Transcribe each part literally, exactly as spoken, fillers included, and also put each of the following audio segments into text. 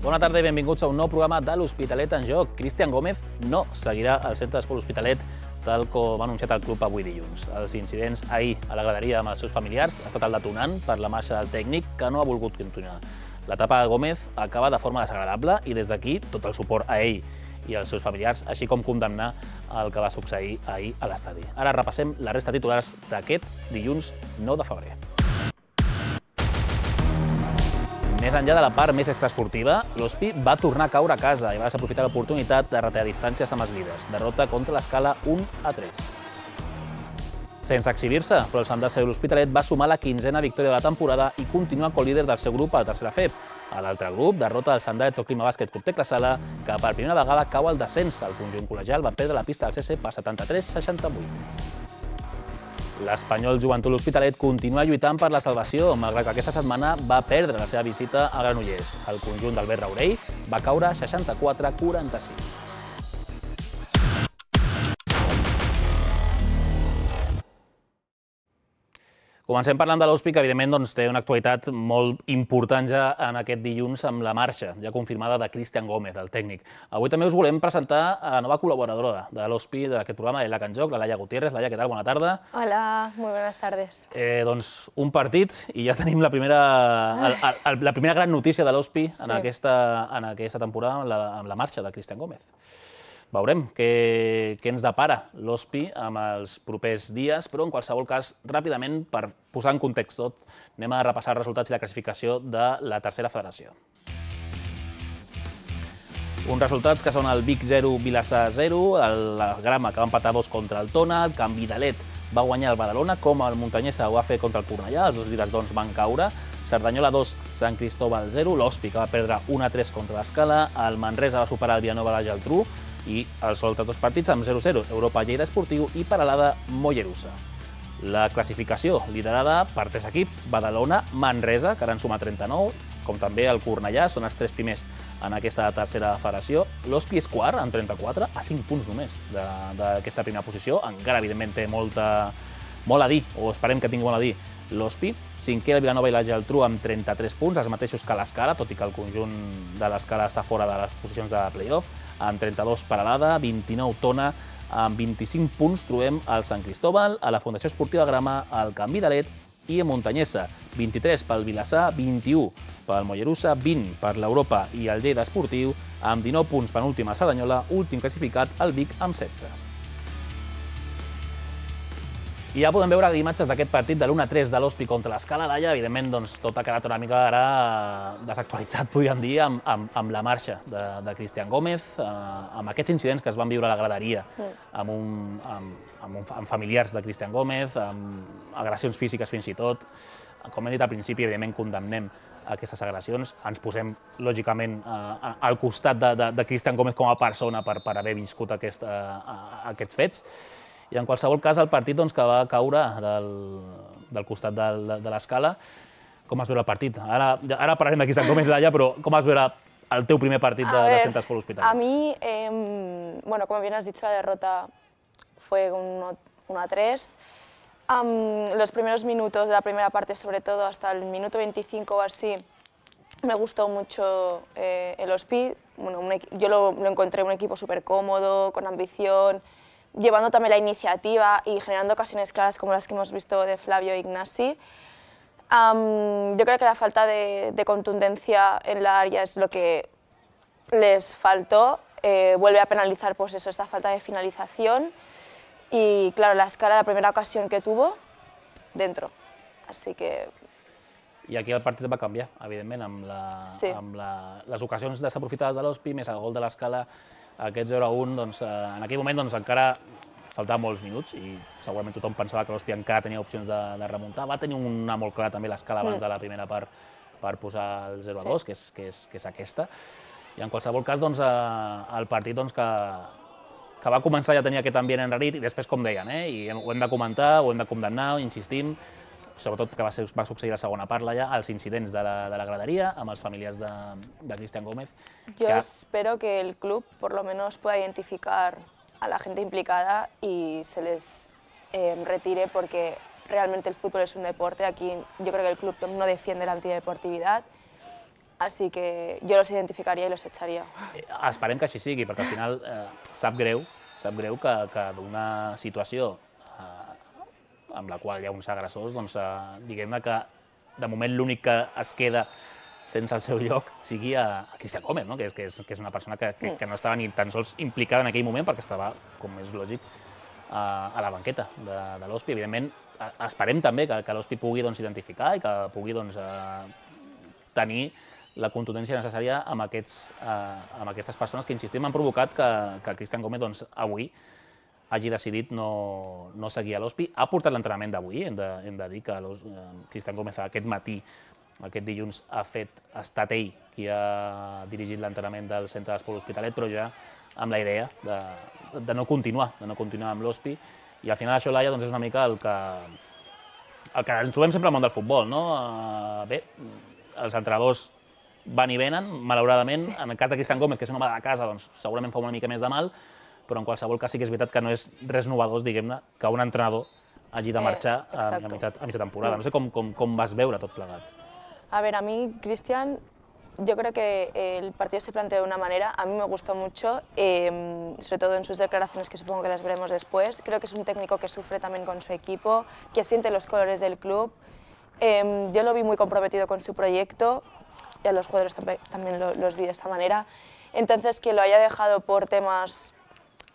Bona tarda i benvinguts a un nou programa de l'Hospitalet en joc. Cristian Gómez no seguirà al centre d'esport L'Hospitalet, tal com ha anunciat el club avui dilluns. Els incidents ahir a la graderia amb els seus familiars ha estat el detonant per la marxa del tècnic, que no ha volgut continuar. L'etapa de Gómez acaba de forma desagradable i des d'aquí tot el suport a ell i als seus familiars, així com condemnar el que va succeir ahir a l'estadi. Ara repassem la resta de titulars d'aquest dilluns nou de febrer. Més enllà de la part més extraesportiva, l'Hospi va tornar a caure a casa i va desaprofitar l'oportunitat de retallar distàncies amb els líders. Derrota contra l'Escala un a tres. Sense exhibir-se, però el Sant Blas de l'Hospitalet va sumar la quinzena victòria de la temporada i continua co-líder del seu grup a la tercera F E P. A l'altre grup, derrota del Sant Dalet Clima Bàsquet Club Tecla Sala, que per primera vegada cau al descens. El conjunt col·legial va perdre la pista del C C per setanta-tres a seixanta-vuit. L'Espanyol Joventut L'Hospitalet continua lluitant per la salvació, malgrat que aquesta setmana va perdre la seva visita a Granollers. El conjunt d'Albert Raurell va caure seixanta-quatre a quaranta-sis. Comencem parlant de l'Hospi, que evidentment doncs, té una actualitat molt important ja en aquest dilluns amb la marxa, ja confirmada, de Cristian Gómez, el tècnic. Avui també us volem presentar a la nova col·laboradora de l'Hospi, d'aquest programa, de l'E L A C en joc, la Laia Gutiérrez. Laia, què tal? Bona tarda. Hola, muy buenas tardes. Eh, doncs un partit i ja tenim la primera, el, el, la primera gran notícia de l'Hospi en, sí. aquesta, en aquesta temporada amb la, amb la marxa de Cristian Gómez. Veurem què, què ens depara l'Hospi amb els propers dies, però en qualsevol cas, ràpidament, per posar en context tot, anem a repassar els resultats i la classificació de la tercera federació. Uns resultats que són el Vic zero, Vilassar zero, el Grama, que va empatar dos contra el Tona, el Can Vidalet va guanyar el Badalona, com el Muntanyesa ho va fer contra el Cornellà, els dos líders doncs, van caure, Cerdanyola dos, Sant Cristóbal zero, l'Hospi, que va perdre un a tres contra l'Escala, el Manresa va superar el Vilanova a la Geltrú, i els altres dos partits amb zero a zero, Europa Lleida Esportiu i Peralada Mollerussa. La classificació liderada per tres equips, Badalona, Manresa, que ara en suma trenta-nou, com també el Cornellà, són els tres primers en aquesta tercera federació. L'Hospi és quart, amb trenta-quatre, a cinc punts només d'aquesta primera posició. Encara, evidentment, té molta, molt a dir, o esperem que tingui molt a dir, l'Hospi. Cinquè, el Vilanova i la Geltrú amb trenta-tres punts, els mateixos que l'Escala, tot i que el conjunt de l'Escala està fora de les posicions de play-off. Amb trenta-dos Peralada, vint-i-nou Tona, amb vint-i-cinc punts trobem el Sant Cristóbal, a la Fundació Esportiva Grama, el Can Vidalet i a Muntanyesa. vint-i-tres pel Vilassar, vint-i-u pel Mollerussa, vint per l'Europa i el Lleida Esportiu, amb dinou punts penúltima Cerdanyola, últim classificat el Vic amb setze. I ja podem veure imatges d'aquest partit de l'u a tres de l'Hospi contra l'Escala. Laia, evidentment, doncs, tot ha quedat una mica ara desactualitzat, podríem dir, amb, amb, amb la marxa de, de Cristian Gómez, eh, amb aquests incidents que es van viure a la graderia, amb, un, amb, amb, un, amb familiars de Cristian Gómez, amb agressions físiques fins i tot. Com he dit al principi, evidentment, condemnem aquestes agressions. Ens posem, lògicament, eh, al costat de, de, de Cristian Gómez com a persona per, per haver viscut aquest, eh, aquests fets. I en qualsevol cas, el partit doncs, que va caure del, del costat de, de l'Escala, com has veure el partit? Ara, ara parlarem de Cristian Gómez, Laia, però com has veure el teu primer partit de, de Centre Esport L'Hospitalet? A mí, eh, bueno, como bien has dicho, la derrota fue un uno a tres. Um, los primeros minutos de la primera parte, sobre todo hasta el minuto veinticinco o así, me gustó mucho eh, el Hospi. Bueno, un, yo lo, lo encontré un equipo súper cómodo, con ambición, llevando también la iniciativa y generando ocasiones claras como las que hemos visto de Flavio e Ignasi. Um, yo creo que la falta de, de contundencia en la área es lo que les faltó. Eh, vuelve a penalizar pues eso, esta falta de finalización. Y claro, la Escala, la primera ocasión que tuvo, dentro. Así que... I aquí el partit va canviar, evidentment, amb, la, sí. amb la, les ocasions desaprofitades de l'Hospi, més el gol de l'Escala, aquest zero a un, doncs, en aquell moment doncs, encara faltaven molts minuts i segurament tothom pensava que l'Hospi encara tenia opcions de, de remuntar. Va tenir una molt clara també l'Escala abans mm. de la primera part per posar el zero a dos, sí. que, és, que, és, que és aquesta. I en qualsevol cas, doncs, el partit doncs, que, que va començar ja tenia aquest ambient enrarit i després, com deien, eh, i ho hem de comentar, ho hem de condemnar, insistim, sobretot que va, ser, va succeir la segona part, ja, els incidents de la, de la graderia amb els familiars de, de Cristian Gómez. Yo que... espero que el club por lo menos pueda identificar a la gente implicada y se les eh, retire, porque realmente el fútbol es un deporte. Aquí yo creo que el club no defiende la antideportividad así que yo los identificaría y los echaría. Esperem que així sigui, perquè al final sap greu, sap greu que d'una situació amb la qual hi ha uns agressors, doncs diguem-ne que de moment l'únic que es queda sense el seu lloc sigui a Cristian Gómez, que és una persona que no estava ni tan sols implicada en aquell moment perquè estava, com és lògic, a la banqueta de l'Hospi. Evidentment, esperem també que l'Hospi pugui identificar i que pugui tenir la contundència necessària amb aquestes persones que, insistim, han provocat que Cristian Gómez avui hagi decidit no seguir a l'Hospi. Ha portat l'entrenament d'avui, hem de dir que Cristian Gómez aquest matí, aquest dilluns, ha estat ell qui ha dirigit l'entrenament del centre d'esport L'Hospitalet, però ja amb la idea de no continuar, de no continuar amb l'Hospi. I al final això, Laia, és una mica el que ens trobem sempre al món del futbol. Bé, els entrenadors van i venen, malauradament. En el cas de Cristian Gómez, que és un home de casa, segurament fa una mica més de mal, però en qualsevol cas sí que és veritat que no és res novedós, diguem-ne, que un entrenador hagi de marxar a mitja temporada. No sé com vas veure tot plegat. A ver, a mí, Cristian, yo creo que el partido se planteó de una manera, a mí me gustó mucho, eh, sobre todo en sus declaraciones, que supongo que las veremos después. Creo que es un técnico que sufre también con su equipo, que siente los colores del club. Eh, yo lo vi muy comprometido con su proyecto, y a los jugadores también lo, los vi de esta manera. Entonces, que lo haya dejado por temas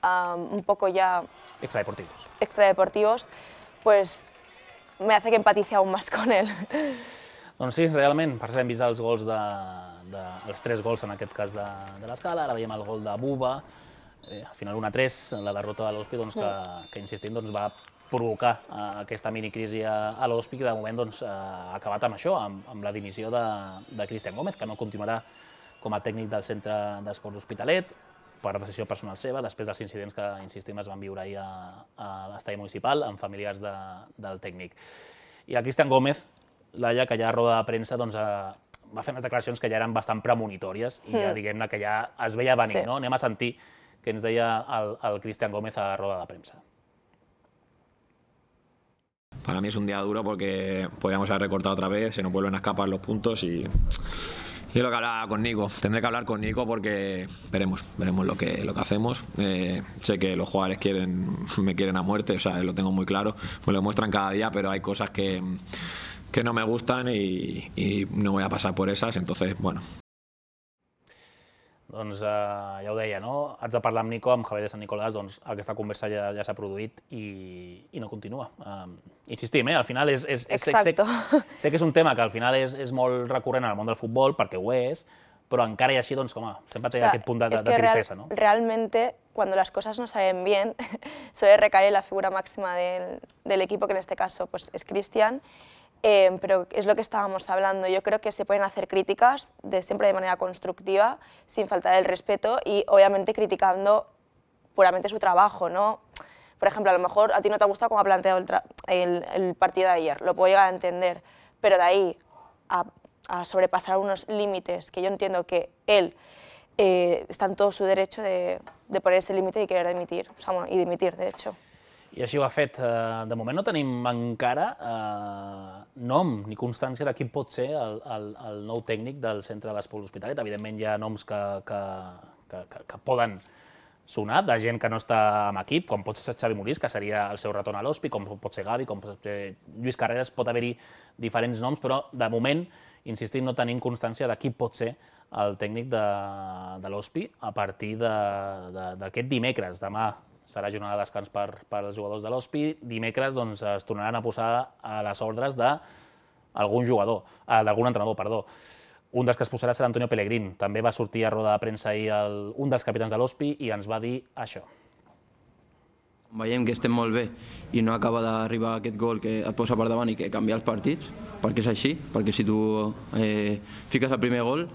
um, un poco ya... Extradeportivos. Extradeportivos, pues me hace que empatice aún más con él. Doncs sí, realment, per cert, hem vist els gols, els tres gols en aquest cas de l'Escala, ara veiem el gol de Buba, al final un a tres, la derrota de l'Hospi, que, insistim, va provocar aquesta minicrisi a l'Hospi, que de moment ha acabat amb això, amb la dimissió de Cristian Gómez, que no continuarà com a tècnic del centre d'esport L'Hospitalet, per decisió personal seva, després dels incidents que, insistim, es van viure ahir a l'estadi municipal amb familiars del tècnic. I el Cristian Gómez, Laia, que ja a roda de premsa va fer unes declaracions que ja eren bastant premonitòries i ja diguem-ne que ja es veia venir. Anem a sentir què ens deia el Cristian Gómez a roda de premsa. Para mí es un día duro porque podíamos haber recortado otra vez, se nos vuelven a escapar los puntos y es lo que hablaba con Nico. Tendré que hablar con Nico porque veremos, veremos lo que, lo que hacemos. Eh, sé que los jugadores quieren, me quieren a muerte, o sea, lo tengo muy claro, me lo muestran cada día, pero hay cosas que... que no me gustan y, y no voy a pasar por esas, entonces, bueno. Doncs ja ho deia, no? Haig de parlar amb Nico, amb Javier de Sant Nicolàs, doncs aquesta conversa ja s'ha produït i no continua. Insistim, al final és... Sé que és un tema que al final és molt recurrent en el món del futbol, perquè ho és, però encara i així, doncs, com sempre té aquest punt de tristesa, ¿no? Realmente, cuando las cosas no salen bien, suele recaer la figura máxima del equipo, que en este caso es Cristian. Eh, pero es lo que estábamos hablando. Yo creo que se pueden hacer críticas de, siempre de manera constructiva, sin faltar el respeto y obviamente criticando puramente su trabajo, ¿no? Por ejemplo, a lo mejor a ti no te ha gustado cómo ha planteado el, el, el partido de ayer, lo puedo llegar a entender, pero de ahí a, a sobrepasar unos límites que yo entiendo que él eh, está en todo su derecho de, de poner ese límite y querer dimitir, o sea, bueno, y dimitir, de hecho. I així ho ha fet. De moment no tenim encara nom ni constància de quin pot ser el nou tècnic del centre d'esport L'Hospitalet. Evidentment hi ha noms que poden sonar, de gent que no està en equip, com pot ser Xavi Molís, que seria el seu retorn a l'Hospi, com pot ser Gavi, com pot ser Lluís Carreras, pot haver-hi diferents noms, però de moment, insistim, no tenim constància de qui pot ser el tècnic de l'Hospi a partir d'aquest dimecres, demà. Serà jornada de descans per als jugadors de l'Hospi. Dimecres es tornaran a posar a les ordres d'algun jugador, d'algun entrenador, perdó. Un dels que es posarà serà Antonio Pellegrín. També va sortir a roda de premsa ahir un dels capitans de l'Hospi i ens va dir això. Veiem que estem molt bé i no acaba d'arribar aquest gol que et posa per davant i que canvia els partits, perquè és així, perquè si tu fiques el primer gol,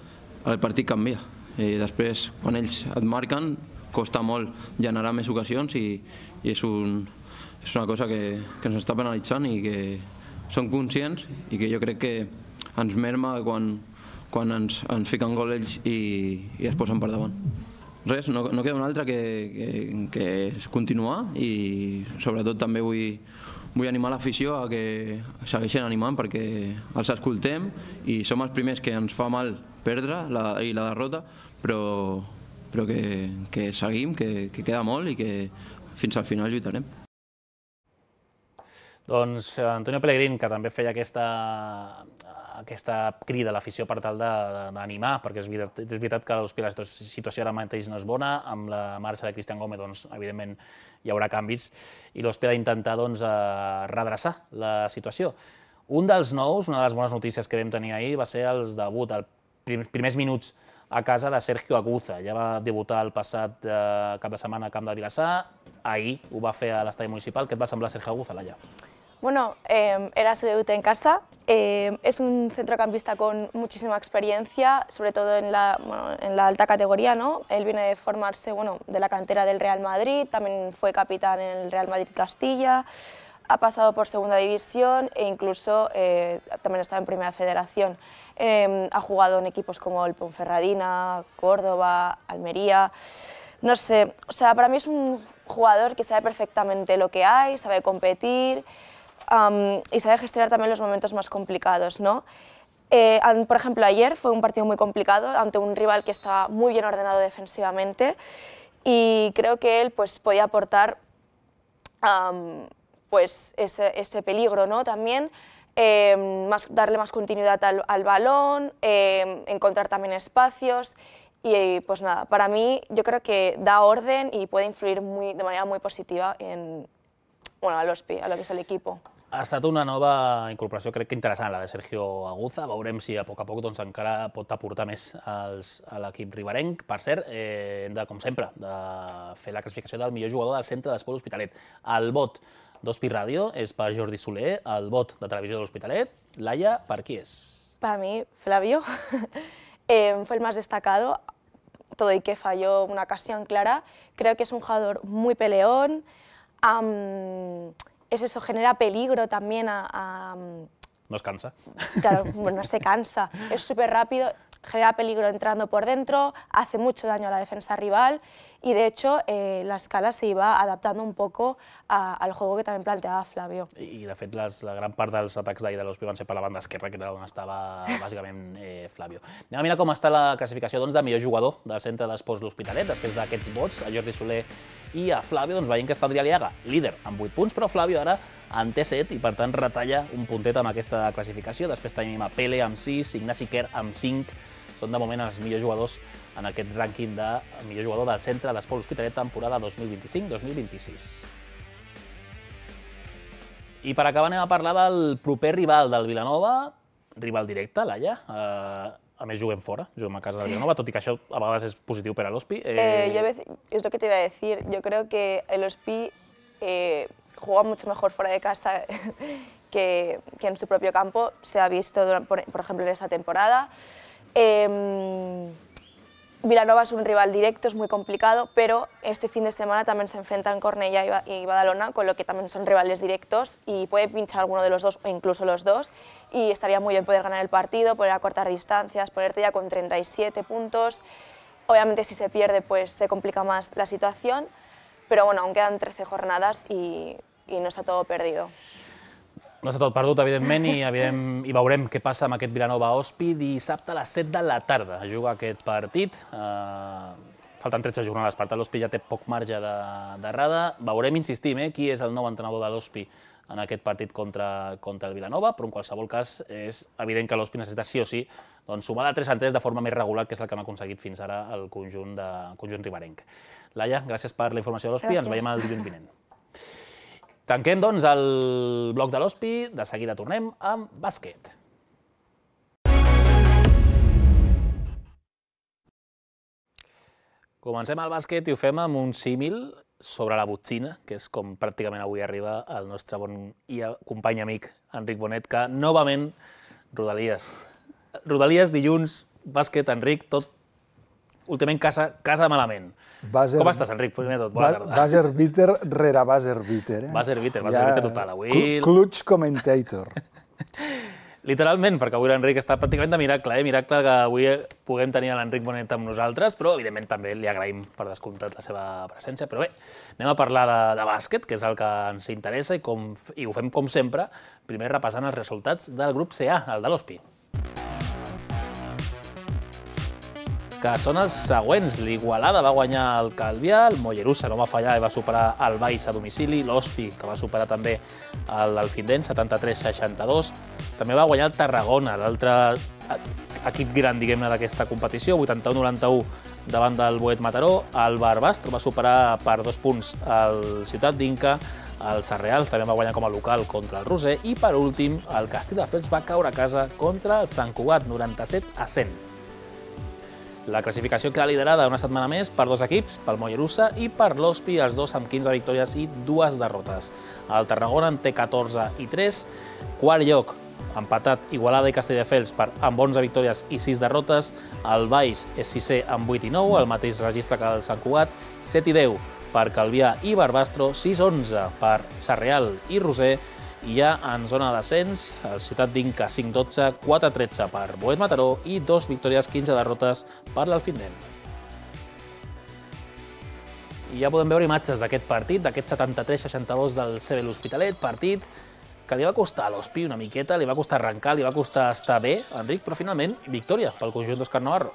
el partit canvia. Després, quan ells et marquen, costa molt generar més ocasions i és una cosa que ens està penalitzant i que som conscients i que jo crec que ens merma quan ens fiquen gol ells i es posen per davant. Res, no queda una altra que continuar i sobretot també vull animar l'afició a que segueixin animant perquè els escoltem i som els primers que ens fa mal perdre la, i la derrota, però, però que, que seguim, que, que queda molt i que fins al final lluitarem. Doncs Antonio Pellegrín, que també feia aquesta, aquesta crida a l'afició per tal d'animar, perquè és veritat, és veritat que l'Hospí la situació ara mateix no és bona, amb la marxa de Cristian Gómez, doncs, evidentment, hi haurà canvis, i l'Hospí ha d'intentar doncs, redreçar la situació. Un dels nous, una de les bones notícies que vam tenir ahir, va ser el debut, els primers minuts a casa de Sergio Aguza. Ja va debutar el passat cap de setmana a Camp de Vilassar, ahir ho va fer a l'estadi municipal. Què et va semblar Sergio Aguza, Laia? Bueno, eh, era su debut en casa. Eh, es un centrocampista con muchísima experiencia, sobre todo en la, bueno, en la alta categoría, ¿no? Él viene de formarse, bueno, de la cantera del Real Madrid, también fue capitán en el Real Madrid Castilla, ha pasado por segunda división e incluso eh, también está en primera federación. Eh, ha jugado en equipos como el Ponferradina, Córdoba, Almería. No sé, o sea, para mí es un jugador que sabe perfectamente lo que hay, sabe competir. Um, y sabe gestionar también los momentos más complicados, ¿no? Eh, por ejemplo, ayer fue un partido muy complicado ante un rival que estaba muy bien ordenado defensivamente y creo que él pues, podía aportar um, pues, ese, ese peligro, ¿no? También eh, más, darle más continuidad al, al balón, eh, encontrar también espacios y pues nada, para mí yo creo que da orden y puede influir muy, de manera muy positiva en, bueno, a l'Hospí, a lo que és l'equip. Ha estat una nova incorporació, crec que interessant, la de Sergio Aguza. Veurem si a poc a poc doncs, encara pot aportar més als, a l'equip riberenc. Per cert, eh, hem de, com sempre, de fer la classificació del millor jugador del centre d'Esport L'Hospitalet. El vot d'Hospí Ràdio és per Jordi Soler, el vot de Televisió de l'Hospitalet. Laia, per qui és? Para mí, Flavio. eh, fue el más destacado, todo y que falló una ocasión clara. Creo que es un jugador muy peleón. Um, eso, eso genera peligro también a, a... No es cansa. Claro, no se cansa, es súper rápido, genera peligro entrando por dentro, hace mucho daño a la defensa rival y de hecho eh, la escala se iba adaptando un poco a, al juego que también planteaba Flavio. I de fet les, la gran part dels atacs d'ahir de l'Hospí van ser per la banda esquerra, que era on estava bàsicament eh, Flavio. Anem a mirar com està la classificació doncs, de millor jugador del centre d'Esports L'Hospitalet, després d'aquests vots, a Jordi Soler i a Flavio, doncs veiem que està Adrià Liaga, líder amb vuit punts, però Flavio ara en té set i per tant retalla un puntet amb aquesta classificació. Després tenim a Pele amb sis, Ignasi Quer amb cinc, són de moment els millors jugadors en aquest rànquing de millor jugador del centre d'Esports L'Hospitalet temporada dos mil vint-i-cinc dos mil vint-i-sis. I per acabar anem a parlar del proper rival del Vilanova, rival directe, Laia. Uh, a més juguem fora, juguem a casa sí. del Vilanova, tot i que això a vegades és positiu per a l'Hospí. Eh... Eh, yo, es lo que te iba a decir, yo creo que el Hospí eh, juega mucho mejor fuera de casa que, que en su propio campo, se ha visto, por, por ejemplo, en esta temporada. Eh, Vilanova es un rival directo, es muy complicado, pero este fin de semana también se enfrentan Cornellà y Badalona, con lo que también son rivales directos y puede pinchar alguno de los dos o incluso los dos y estaría muy bien poder ganar el partido, poder acortar distancias, ponerte ya con treinta y siete puntos. Obviamente si se pierde pues se complica más la situación, pero bueno, aún quedan trece jornadas y, y no está todo perdido. No està tot perdut, evidentment, i, evident, i veurem què passa amb aquest Vilanova-Hospí. Dissabte a les set de la tarda juga aquest partit. Uh, falten tretze jornades, per tant l'Hospí ja té poc marge d'errada. Veurem, insistim, eh, qui és el nou entrenador de l'Hospí en aquest partit contra, contra el Vilanova, però en qualsevol cas és evident que l'Hospí necessita sí o sí doncs, sumar de tres en tres de forma més regular, que és el que hem aconseguit fins ara el conjunt, de, conjunt riberenc. Laia, gràcies per la informació de l'Hospí, ens veiem el dilluns vinent. Tanquem, doncs, el bloc de l'Hospí, de seguida tornem amb bàsquet. Comencem el bàsquet i ho fem amb un símil sobre la botzina, que és com pràcticament avui arriba el nostre bon i company amic Enric Bonet, que novament Rodalies. Rodalies, dilluns, bàsquet, Enric, tot últimament casa, casa malament. Buzzer, Com estàs, Enric? Primer tot, bona tarda. Buzzer beater rere buzzer beater. Eh? Buzzer beater, buzzer beater total. Avui... Clutch commentator. Literalment, perquè avui l'Enric està pràcticament de miracle, eh? Miracle que avui puguem tenir l'Enric Bonet amb nosaltres, però evidentment també li agraïm per descomptat la seva presència. Però bé, anem a parlar de, de bàsquet, que és el que ens interessa, i, com, i ho fem com sempre, primer repassant els resultats del grup C A, el de l'Hospí. que són els següents. L'Igualada va guanyar el Calvià, el Mollerussa no va fallar i va superar el Valls a domicili, l'Hospi, que va superar també l'Alfindent, setanta-tres seixanta-dos. També va guanyar el Tarragona, l'altre equip gran, diguem-ne, d'aquesta competició, vuitanta-u noranta-u davant del Boet Mataró. El Barbastro va superar per dos punts el Ciutat d'Inca, el Sarreal també va guanyar com a local contra el Roser i, per últim, el Castelldefels va caure a casa contra el Sant Cugat, noranta-set a cent. La classificació queda liderada una setmana més per dos equips, pel Mollerussa i per l'Hospi, els dos amb quinze victòries i dues derrotes. El Tarragona en té catorze i tres, quart lloc, empatat Igualada i Castelldefels amb onze victòries i sis derrotes, el Valls és sisè amb vuit i nou, el mateix registre que el Sant Cugat, set i deu per Calvià i Barbastro, sis onze per Sarreal i Roser, i ja en zona de descens, el Ciutat d'Inca cinc dotze, quatre tretze per Boet Mataró i dos victòries, quinze derrotes per l'Alfindent. I ja podem veure imatges d'aquest partit, d'aquest setanta-tres seixanta-dos del C B l'Hospitalet, partit que li va costar a l'Hospi una miqueta, li va costar arrencar, li va costar estar bé, Enric, però finalment victòria pel conjunt d'Òscar Navarro.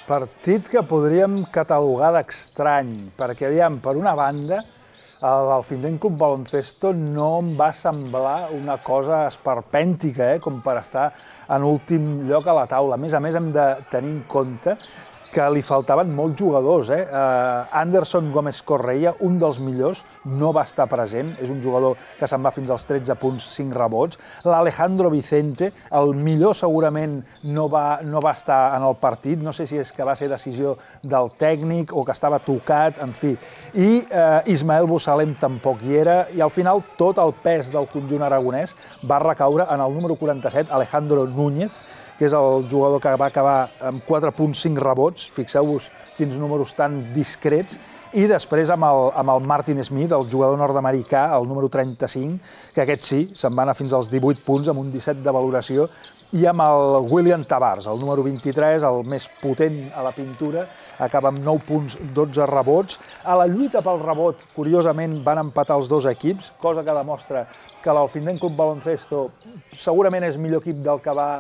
Partit que podríem catalogar d'estrany, perquè, aviam, per una banda, l'Alfindent Club Baloncesto no em va semblar una cosa esperpèntica, eh, com per estar en últim lloc a la taula. A més a més, hem de tenir en compte que li faltaven molts jugadors. Eh? Uh, Anderson Gómez Correia, un dels millors, no va estar present. És un jugador que se'n va fins als tretze punts, cinc rebots. L'Alejandro Vicente, el millor segurament no va, no va estar en el partit. No sé si és que va ser decisió del tècnic o que estava tocat, en fi. I uh, Ismael Bussalem tampoc hi era. I al final tot el pes del conjunt aragonès va recaure en el número quaranta-set, Alejandro Núñez, que és el jugador que va acabar amb quatre punts, cinc rebots. Fixeu-vos quins números tan discrets. I després amb el, amb el Martin Smith, el jugador nord-americà, el número trenta-cinc, que aquest sí, se'n va anar fins als divuit punts, amb un disset de valoració, i amb el William Tavars, el número vint-i-tres, el més potent a la pintura, acaba amb nou punts, dotze rebots. A la lluita pel rebot, curiosament, van empatar els dos equips, cosa que demostra que l'Alfindent Club Baloncesto segurament és millor equip del que va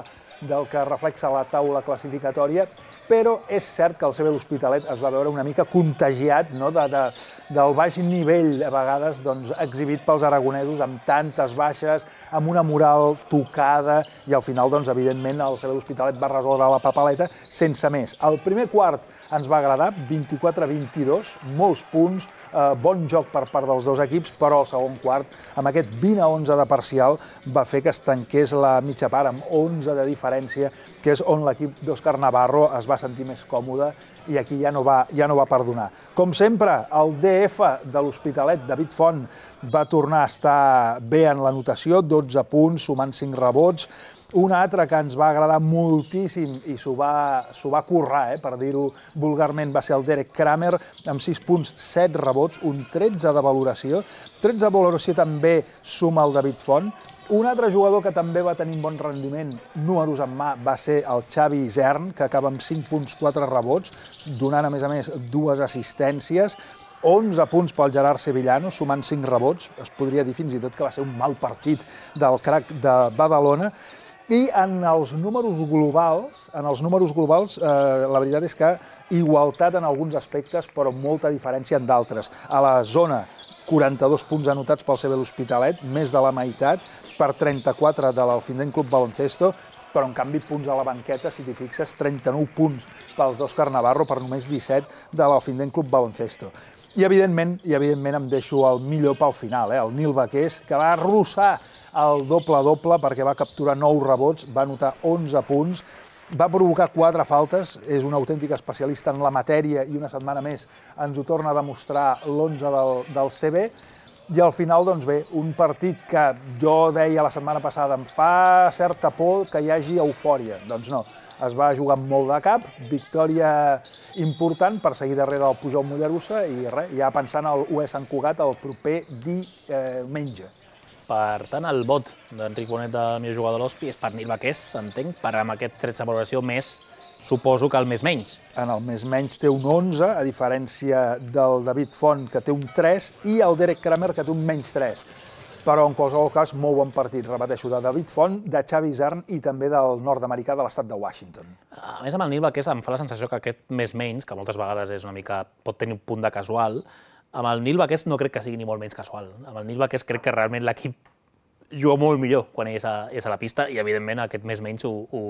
del que reflexa la taula classificatòria, però és cert que el C B l'Hospitalet es va veure una mica contagiat, no? de, de, del baix nivell, a vegades, doncs, exhibit pels aragonesos, amb tantes baixes, amb una moral tocada, i al final, doncs, evidentment, el C B l'Hospitalet va resoldre la papaleta sense més. El primer quart ens va agradar, vint-i-quatre a vint-i-dos, molts punts, eh, bon joc per part dels dos equips, però el segon quart, amb aquest vint a onze de parcial, va fer que es tanqués la mitja part amb onze de diferència, que és on l'equip d'Òscar Navarro es va sentir més còmode i aquí ja no va, ja no va perdonar. Com sempre, el D F de l'Hospitalet, David Font, va tornar a estar bé en l'anotació, dotze punts, sumant cinc rebots. Un altre que ens va agradar moltíssim i s'ho va, s'ho va currar, eh, per dir-ho vulgarment, va ser el Derek Kramer, amb sis punts, set rebots, un tretze de valoració. tretze de valoració també suma el David Font. Un altre jugador que també va tenir un bon rendiment, números en mà, va ser el Xavi Isern, que acaba amb cinc punts, quatre rebots, donant, a més a més, dues assistències. onze punts pel Gerard Sevillano, sumant cinc rebots. Es podria dir fins i tot que va ser un mal partit del crack de Badalona. I en els números globals, en els números globals, eh, la veritat és que igualtat en alguns aspectes, però molta diferència en d'altres. A la zona, quaranta-dos punts anotats pel C B l'Hospitalet, més de la meitat, per trenta-quatre de l'Alfindent Club Baloncesto, però en canvi punts a la banqueta, si t'hi fixes, trenta-nou punts pels d'Òscar Navarro per només disset de l'Alfindent Club Baloncesto. I evidentment, i evidentment em deixo el millor pel final, eh, el Nil Baqués, que va arrossar el doble-doble perquè va capturar nou rebots, va anotar onze punts, va provocar quatre faltes, és un autèntic especialista en la matèria i una setmana més ens ho torna a demostrar l'onze del, del C B. I al final, doncs bé, un partit que jo deia la setmana passada em fa certa por que hi hagi eufòria. Doncs no, es va jugar amb molt de cap, victòria important per seguir darrere del Pujol Mollerussa i res, ja pensant al U E Sant Cugat el proper diumenge. Per tant, el vot d'Enric Bonet, del millor jugador de l'Hospi, és per Nil Baqués, entenc, per amb aquest tretze de valoració més, suposo que el més menys. En el més menys té un onze, a diferència del David Font, que té un tres, i el Derek Kramer, que té un menys tres. però en qualsevol cas molt bon partit, repeteixo, de David Font, de Xavi Isern i també del nord-americà de l'estat de Washington. A més, amb el Nil Baqués em fa la sensació que aquest més-menys, que moltes vegades és una mica, pot tenir un punt de casual, amb el Nil Baqués no crec que sigui ni molt menys casual. Amb el Nil Baqués crec que realment l'equip juga molt millor quan és a, és a la pista i, evidentment, aquest més-menys ho, ho,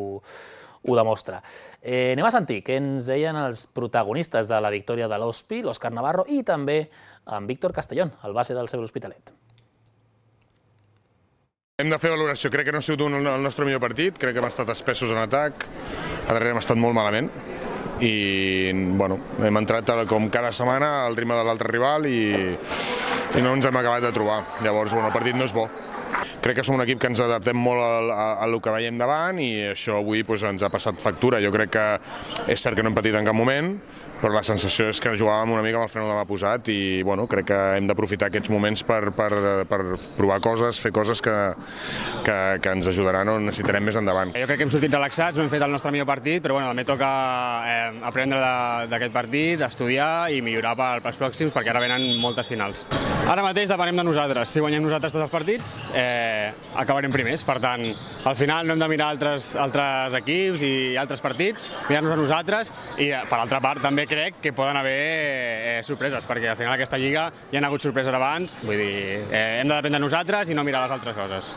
ho demostra. Eh, anem a sentir què ens deien els protagonistes de la victòria de l'Hospi, l'Òscar Navarro i també en Víctor Castellón, el base del C B l'Hospitalet. Hem de fer valoració. Crec que no ha sigut un, el nostre millor partit, crec que hem estat espessos en atac, a darrere hem estat molt malament i bueno, hem entrat com cada setmana al ritme de l'altre rival i, i no ens hem acabat de trobar. Llavors, bueno, el partit no és bo. Crec que som un equip que ens adaptem molt al que veiem davant i això avui doncs, ens ha passat factura. Jo crec que és cert que no hem patit en cap moment, però la sensació és que jugàvem una mica amb el fre de mà posat i bueno, crec que hem d'aprofitar aquests moments per, per, per provar coses, fer coses que, que, que ens ajudaran o necessitarem més endavant. Jo crec que hem sortit relaxats, no hem fet el nostre millor partit, però bueno, també toca eh, aprendre d'aquest partit, estudiar i millorar pels pròxims perquè ara venen moltes finals. Ara mateix depenem de nosaltres. Si guanyem nosaltres tots els partits, eh, acabarem primers. Per tant, al final no hem de mirar altres, altres equips i altres partits, mirar-nos a nosaltres i, per altra part, també crec que poden haver eh, sorpreses, perquè al final aquesta lliga hi ha hagut sorpreses abans, vull dir, eh, hem de dependre de nosaltres i no mirar les altres coses.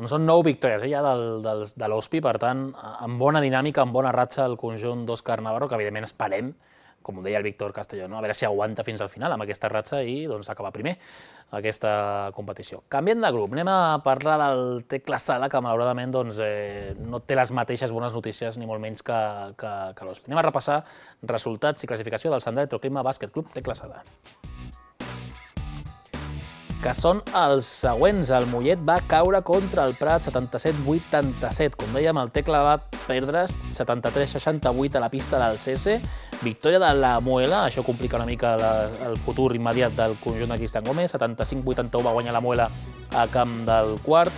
Doncs són nou victòries eh, ja del, del, de l'Hospi, per tant, amb bona dinàmica, amb bona ratxa el conjunt d'Òscar Navarro, que evidentment esperem, com ho deia el Víctor Castelló, no? A veure si aguanta fins al final amb aquesta ratxa i doncs, acabar primer aquesta competició. Canviant de grup, anem a parlar del Tecla Sala, que malauradament doncs, eh, no té les mateixes bones notícies, ni molt menys que, que, que l'Hospi. Anem a repassar resultats i classificació del Sant Electroclima Bàsquet Club Tecla Sala, que són els següents. El Mollet va caure contra el Prat setanta-set vuitanta-set. Com dèiem, el Tecla va perdre setanta-tres seixanta-vuit a la pista del C S. Victòria de la Muela, això complica una mica la, el futur immediat del conjunt de Cristian Gómez. setanta-cinc vuitanta-u va guanyar la Muela a camp del Quart.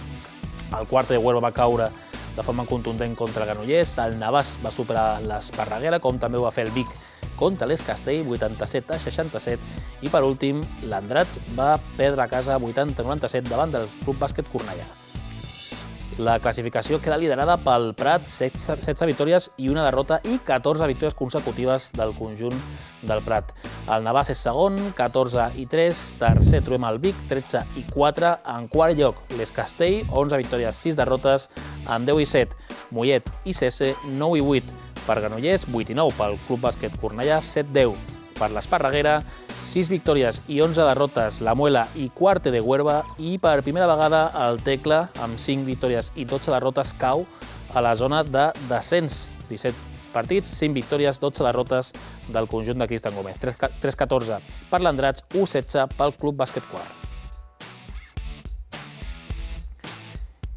El Quart de Huelva va caure de forma contundent contra el Granollers. El Navàs va superar l'Esparreguera, com també ho va fer el Vic contra l'Es Castell, vuitanta-set a seixanta-set, i per últim l'Andrats va perdre a casa vuitanta a noranta-set davant del Club Bàsquet Cornellà. La classificació queda liderada pel Prat, setze victòries i una derrota i catorze victòries consecutives del conjunt del Prat. El Navàs és segon, catorze i tres, tercer trobem el Vic, tretze i quatre, en quart lloc l'Es Castell, onze victòries, sis derrotes, en deu i set, Mollet i C S, nou i vuit per Granollers, vuit i nou pel Club Bàsquet Cornellà, set deu per l'Esparreguera, sis victòries i onze derrotes la Muela i Quarte de Huelva, i per primera vegada el Tecla, amb cinc victòries i dotze derrotes, cau a la zona de descens. disset partits, cinc victòries, dotze derrotes del conjunt de Cristian Gómez. tres catorze per l'Andrats, u setze pel Club Bàsquet Quart.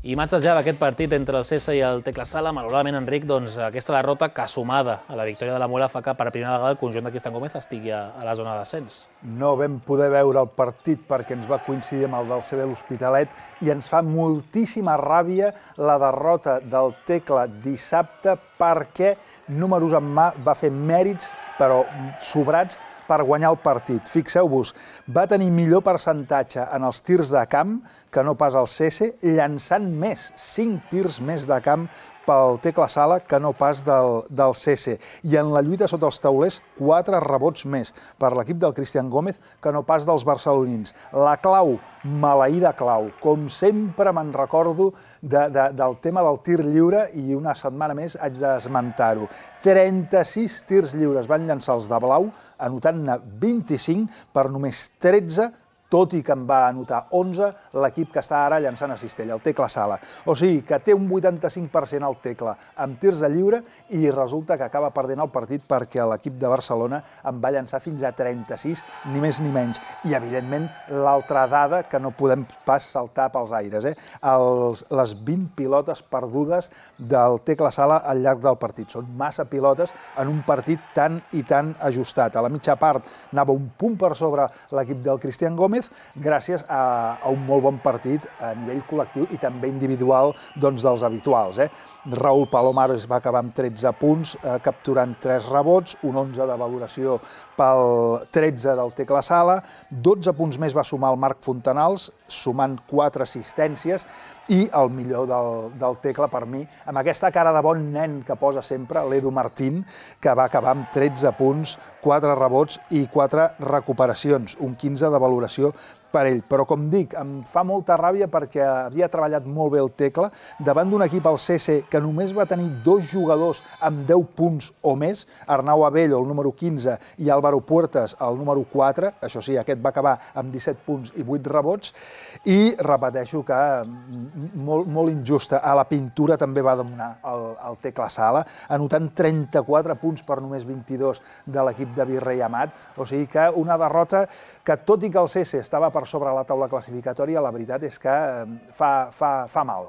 Imatges ja d'aquest partit entre el C S i el Tecla Sala. Malauradament, Enric, doncs, aquesta derrota que sumada a la victòria de la Muela fa que per primera vegada el conjunt de Cristian Gómez estigui a, a la zona de descens. No vam poder veure el partit perquè ens va coincidir amb el del C B l'Hospitalet i ens fa moltíssima ràbia la derrota del Tecla dissabte perquè, números en mà, va fer mèrits, però sobrats, per guanyar el partit. Fixeu-vos, va tenir millor percentatge en els tirs de camp que no pas el C S, llançant més, cinc tirs més de camp pel Tecla Sala que no pas del, del C S. I en la lluita sota els taulers, quatre rebots més per l'equip del Cristian Gómez que no pas dels barcelonins. La clau, maleïda clau. Com sempre me'n recordo de, de, del tema del tir lliure i una setmana més haig d'esmentar-ho. trenta-sis tirs lliures van llançar els de blau, anotant-ne vint-i-cinc per només tretze, tot i que en va anotar onze l'equip que està ara llançant a Cistella, el Tecla Sala. O sigui que té un vuitanta-cinc per cent el Tecla amb tirs de lliure i resulta que acaba perdent el partit perquè l'equip de Barcelona en va llançar fins a trenta-sis, ni més ni menys. I, evidentment, l'altra dada que no podem pas saltar pels aires, eh? Els, les vint pilotes perdudes del Tecla Sala al llarg del partit. Són massa pilotes en un partit tan i tan ajustat. A la mitja part anava un punt per sobre l'equip del Cristian Gómez Gómez, gràcies a, a un molt bon partit a nivell col·lectiu i també individual doncs, dels habituals. Eh? Raúl Palomares va acabar amb tretze punts, eh, capturant tres rebots, un onze de valoració pel tretze del Tecla Sala, dotze punts més va sumar el Marc Fontanals, sumant quatre assistències, i el millor del, del Tecla per mi, amb aquesta cara de bon nen que posa sempre, l'Edu Martín, que va acabar amb tretze punts, quatre rebots i quatre recuperacions, un quinze de valoració per ell. Però, com dic, em fa molta ràbia perquè havia treballat molt bé el Tecla davant d'un equip, el C C, que només va tenir dos jugadors amb deu punts o més, Arnau Abello, el número quinze, i Álvaro Puertas, el número quatre, això sí, aquest va acabar amb disset punts i vuit rebots, i repeteixo que molt, molt injusta. A la pintura també va dominar el, el Tecla Sala, anotant trenta-quatre punts per només vint-i-dos de l'equip de Virrey Amat, o sigui que una derrota que, tot i que el C C estava per sobre la taula classificatòria, la veritat és que fa, fa, fa mal.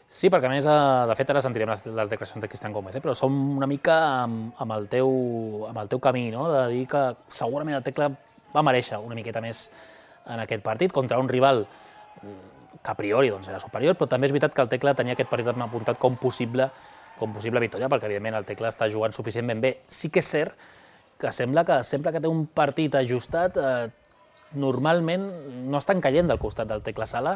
Sí, perquè a més, de fet, ara sentirem les, les declaracions de Cristian Gómez, eh? Però som una mica amb, amb, el teu, amb el teu camí, no? De dir que segurament el Tecla va mereixer una miqueta més en aquest partit contra un rival que a priori doncs, era superior, però també és veritat que el Tecla tenia aquest partit apuntat com possible, com possible victòria, perquè evidentment el Tecla està jugant suficientment bé. Sí que és cert que sembla que sempre que té un partit ajustat, eh, normalment no estan caient del costat del Tecla Sala,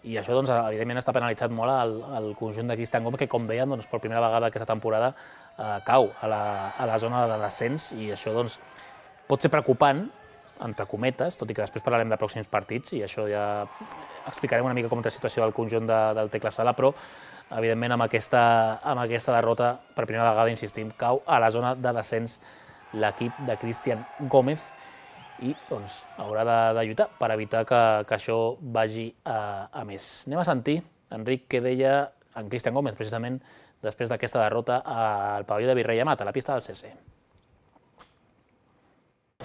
i això doncs, evidentment està penalitzat molt el, el conjunt de Cristian Gómez, que com deien, doncs, per primera vegada aquesta temporada eh, cau a la, a la zona de descens, i això doncs, pot ser preocupant, entre cometes, tot i que després parlarem de pròxims partits, i això ja explicarem una mica com és la situació del conjunt de, del Tecla Sala, però evidentment amb aquesta, amb aquesta derrota, per primera vegada, insistim, cau a la zona de descens l'equip de Cristian Gómez, i doncs, haurà de, de lluitar per evitar que, que això vagi a, a més. Anem a sentir, Enric, què deia en Cristian Gómez, precisament després d'aquesta derrota al pavelló de Virrey Amat, a la pista del C C.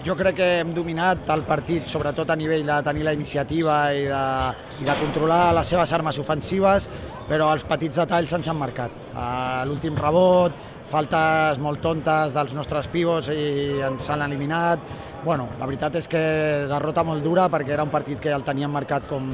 Jo crec que hem dominat el partit, sobretot a nivell de tenir la iniciativa i de, i de controlar les seves armes ofensives, però els petits detalls ens han marcat. L'últim rebot, faltes molt tontes dels nostres pivots i ens han eliminat. Bueno, la veritat és que derrota molt dura perquè era un partit que el teníem marcat com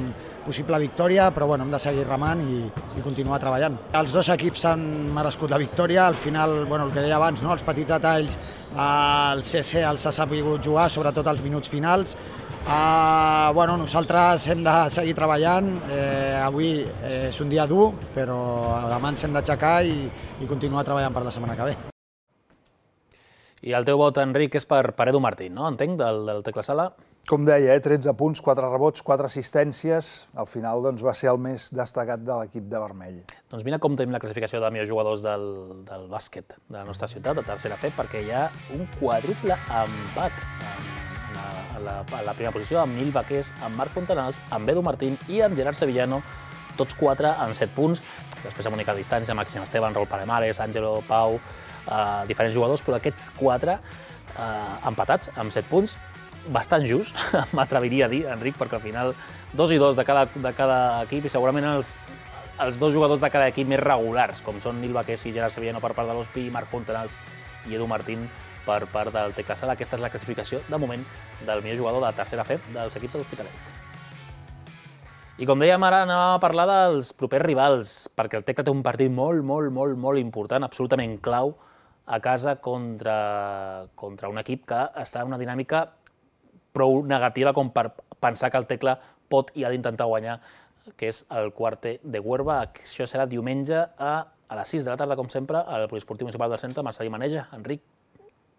possible victòria, però bueno, hem de seguir remant i, i continuar treballant. Els dos equips han merescut la victòria, al final, bueno, el que deia abans, no? Els petits detalls, el C C els ha sabut jugar, sobretot als minuts finals. Uh, bueno, nosaltres hem de seguir treballant, eh, avui eh, és un dia dur, però demà ens hem d'aixecar i, i continuar treballant per la setmana que ve. I el teu vot, Enric, és per, per Edu Martín, no? Entenc, del, del Tecla Sala? Com deia, eh? tretze punts, quatre rebots, quatre assistències. Al final doncs, va ser el més destacat de l'equip de vermell. Doncs mira com tenim la classificació de millors jugadors del, del bàsquet de la nostra ciutat, de tercera F, perquè hi ha un quàdruple empat en la, a la, a la primera posició, amb Nil Baqués, amb Marc Fontanals, amb Edu Martín i amb Gerard Sevillano, tots quatre amb set punts. Després amb única distància, Màxim Esteban, Raúl Palemares, Àngelo, Pau, eh, diferents jugadors, però aquests quatre eh, empatats amb set punts, bastant just, m'atreviria a dir, Enric, perquè al final dos i dos de cada, de cada equip, i segurament els, els dos jugadors de cada equip més regulars, com són Nil Baqués i Gerard Sevillano per part de l'Hospi, Marc Fontanals i Edu Martín per part del Tecla Sala. Aquesta és la classificació, de moment, del millor jugador de tercera F dels equips de l'Hospitalet. I com dèiem, ara anàvem a parlar dels propers rivals, perquè el Tecla té un partit molt, molt, molt, molt important, absolutament clau, a casa contra, contra un equip que està en una dinàmica prou negativa com per pensar que el Tecla pot i ha d'intentar guanyar, que és el Quarter de Huerva. Això serà diumenge a, a les sis de la tarda, com sempre, al Poliesportiu Municipal del Centre, Marcelí Maneja. Enric,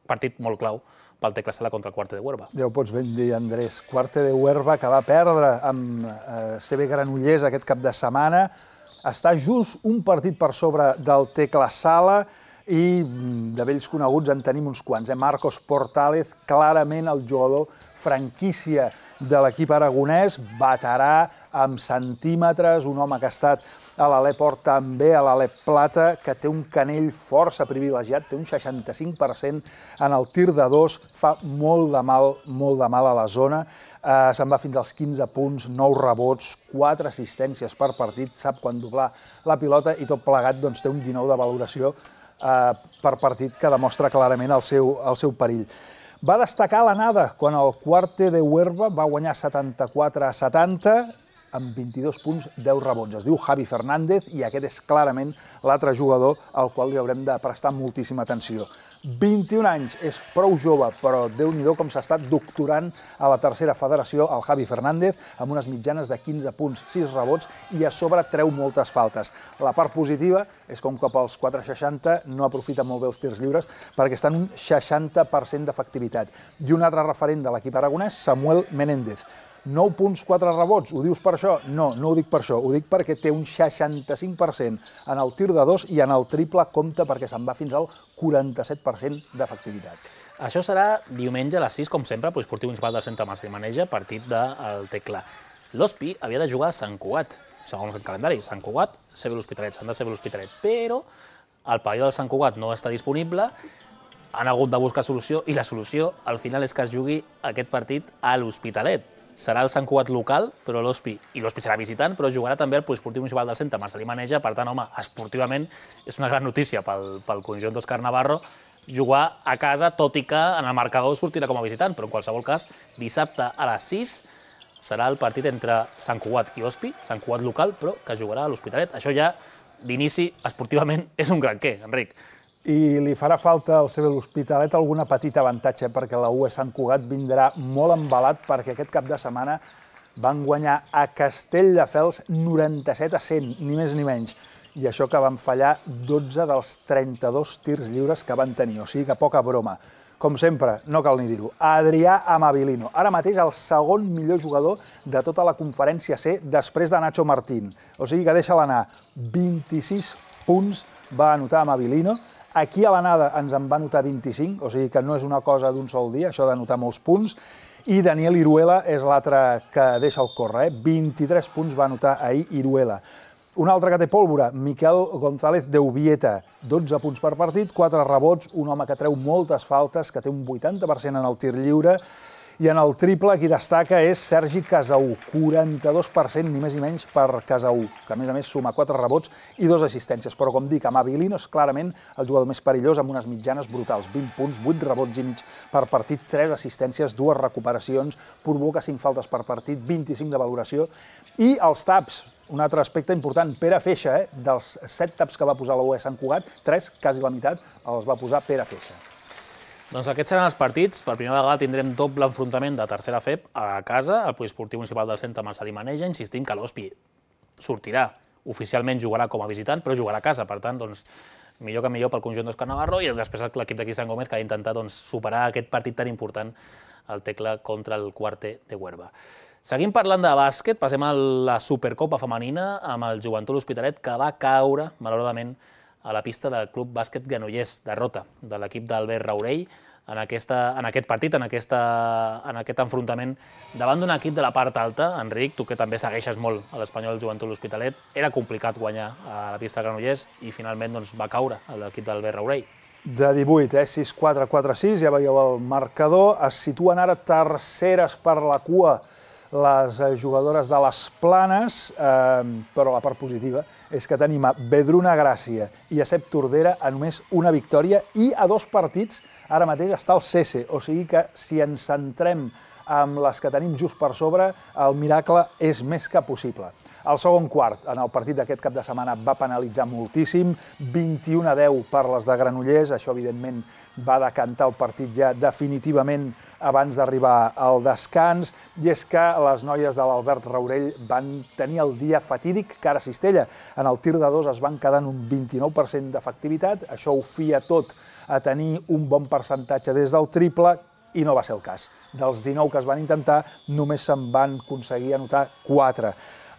partit molt clau pel Tecla Sala contra el Quarter de Huerva. Ja ho pots ben dir, Andrés. Quarter de Huerva, que va perdre amb eh, C B Granollers aquest cap de setmana. Està just un partit per sobre del Tecla Sala i de vells coneguts en tenim uns quants. Eh? Marcos Portález, clarament el jugador franquícia de l'equip aragonès, veterà amb centímetres, un home que ha estat a l'Alep Or, també a l'Alep Plata, que té un canell força privilegiat, té un seixanta-cinc per cent en el tir de dos, fa molt de mal, molt de mal a la zona, eh, se'n va fins als quinze punts, nou rebots, quatre assistències per partit, sap quan doblar la pilota i tot plegat doncs, té un dinou de valoració eh, per partit que demostra clarament el seu, el seu perill. Va destacar l'anada quan el Cuarte de Huerva va guanyar setanta-quatre a setanta amb vint-i-dos punts, deu rebots. Es diu Javi Fernández i aquest és clarament l'altre jugador al qual li haurem de prestar moltíssima atenció. vint-i-un anys, és prou jove, però Déu-n'hi-do com s'ha estat doctorant a la tercera federació, el Javi Fernández, amb unes mitjanes de quinze punts, sis rebots i a sobre treu moltes faltes. La part positiva és que un cop als quatre seixanta no aprofita molt bé els tirs lliures perquè està en un seixanta per cent d'efectivitat. I un altre referent de l'equip aragonès, Samuel Menéndez. nou punts, quatre rebots, ho dius per això? No, no ho dic per això, ho dic perquè té un seixanta-cinc per cent en el tir de dos i en el triple compta perquè se'n va fins al quaranta-set per cent d'efectivitat. Això serà diumenge a les sis, com sempre, Poliesportiu Municipal del Centre Mas Limaneja, partit del Tecla. L'Hospi havia de jugar a Sant Cugat, segons el calendari. Sant Cugat, C B l'Hospitalet, s'han de C B l'Hospitalet, però el pavelló del Sant Cugat no està disponible, han hagut de buscar solució i la solució al final és que es jugui aquest partit a l'Hospitalet. Serà el Sant Cugat local, però l'Hospi, i l'Hospi serà visitant, però jugarà també el Poliesportiu Municipal del Centre Mas Limaneja. Per tant, home, esportivament és una gran notícia pel, pel conjunt d'Òscar Navarro jugar a casa, tot i que en el marcador sortirà com a visitant, però en qualsevol cas, dissabte a les sis serà el partit entre Sant Cugat i Hospi, Sant Cugat local, però que jugarà a l'Hospitalet. Això ja, d'inici, esportivament, és un gran què, Enric. I li farà falta al C B l'Hospitalet alguna petita avantatge perquè la U E Sant Cugat vindrà molt embalat perquè aquest cap de setmana van guanyar a Castelldefels noranta-set a cent, ni més ni menys. I això que van fallar dotze dels trenta-dos tirs lliures que van tenir, o sigui que poca broma. Com sempre, no cal ni dir-ho, Adrià Amabilino, ara mateix el segon millor jugador de tota la conferència C després de Nacho Martín. O sigui que deixa-la anar, vint-i-sis punts va anotar Amabilino. Aquí a l'anada ens en va anotar vint-i-cinc, o sigui que no és una cosa d'un sol dia, això d'anotar molts punts. I Daniel Iruela és l'altre que deixa el córrer, eh? vint-i-tres punts va anotar ahir Iruela. Un altre que té pólvora, Miquel González de Ubieta, dotze punts per partit, quatre rebots, un home que treu moltes faltes, que té un vuitanta per cent en el tir lliure, i en el triple qui destaca és Sergi Casaú, quaranta-dos per cent ni més ni menys per Casaú, que a més a més suma quatre rebots i dues assistències. Però com dic, Amabilino és clarament el jugador més perillós amb unes mitjanes brutals, vint punts, vuit rebots i mig per partit, tres assistències, dues recuperacions, provoca cinc faltes per partit, vint-i-cinc de valoració. I els taps, un altre aspecte important, Pere Feixa, eh? dels set taps que va posar la U E Sant Cugat, tres, quasi la meitat, els va posar Pere Feixa. Doncs aquests seran els partits. Per primera vegada tindrem doble enfrontament de tercera F E P a casa, al Poliesportiu Municipal del Centre Mas Limaneja. Insistim que l'Hospi sortirà, oficialment jugarà com a visitant, però jugarà a casa. Per tant, doncs, millor que millor pel conjunt d'Òscar Navarro i després l'equip de Cristian Gómez que ha d'intentar doncs, superar aquest partit tan important, el Tecla contra el Cuarte de Huerva. Seguim parlant de bàsquet, passem a la Supercopa femenina amb el Joventut L'Hospitalet que va caure, malauradament, a la pista del Club Bàsquet Granollers, derrota de l'equip d'Albert Raurell en, aquesta, en aquest partit, en, aquesta, en aquest enfrontament davant d'un equip de la part alta. Enric, tu que també segueixes molt a l'Espanyol Joventut L'Hospitalet, era complicat guanyar a la pista de Granollers i finalment doncs, va caure l'equip d'Albert Raurell. De divuit, eh? sis quatre quatre sis, ja veieu el marcador. Es situen ara terceres per la cua les jugadores de les Planes, eh, però la part positiva és que tenim a Vedruna Gràcia i a Cep Tordera a només una victòria i a dos partits ara mateix està el Cese, o sigui que si ens centrem amb les que tenim just per sobre, el miracle és més que possible. El segon quart, en el partit d'aquest cap de setmana, va penalitzar moltíssim, vint-i-u a deu per les de Granollers, això evidentment va decantar el partit ja definitivament abans d'arribar al descans, i és que les noies de l'Albert Raurell van tenir el dia fatídic cara a Cistella. En el tir de dos es van quedar en un vint-i-nou per cent d'efectivitat, això ho fia tot a tenir un bon percentatge des del triple, i no va ser el cas. Dels dinou que es van intentar, només se'n van aconseguir anotar quatre.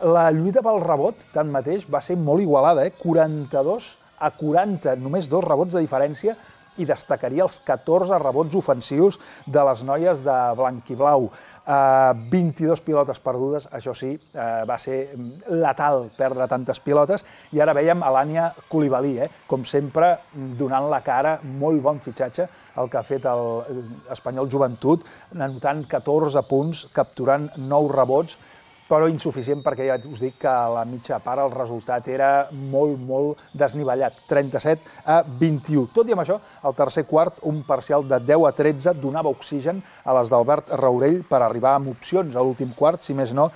La lluita pel rebot, tanmateix, va ser molt igualada, eh? quaranta-dos a quaranta, només dos rebots de diferència, i destacaria els catorze rebots ofensius de les noies de blanc i blau. Uh, vint-i-dos pilotes perdudes, això sí, uh, va ser letal perdre tantes pilotes, i ara veiem a l'Ània Coulibaly, eh? com sempre, donant la cara, molt bon fitxatge, el que ha fet l'Espanyol Joventut, anotant catorze punts, capturant nou rebots, però insuficient perquè ja us dic que a la mitja part el resultat era molt, molt desnivellat, trenta-set a vint-i-u. Tot i amb això, al tercer quart, un parcial de deu a tretze donava oxigen a les d'Albert Raurell per arribar amb opcions a l'últim quart, si més no,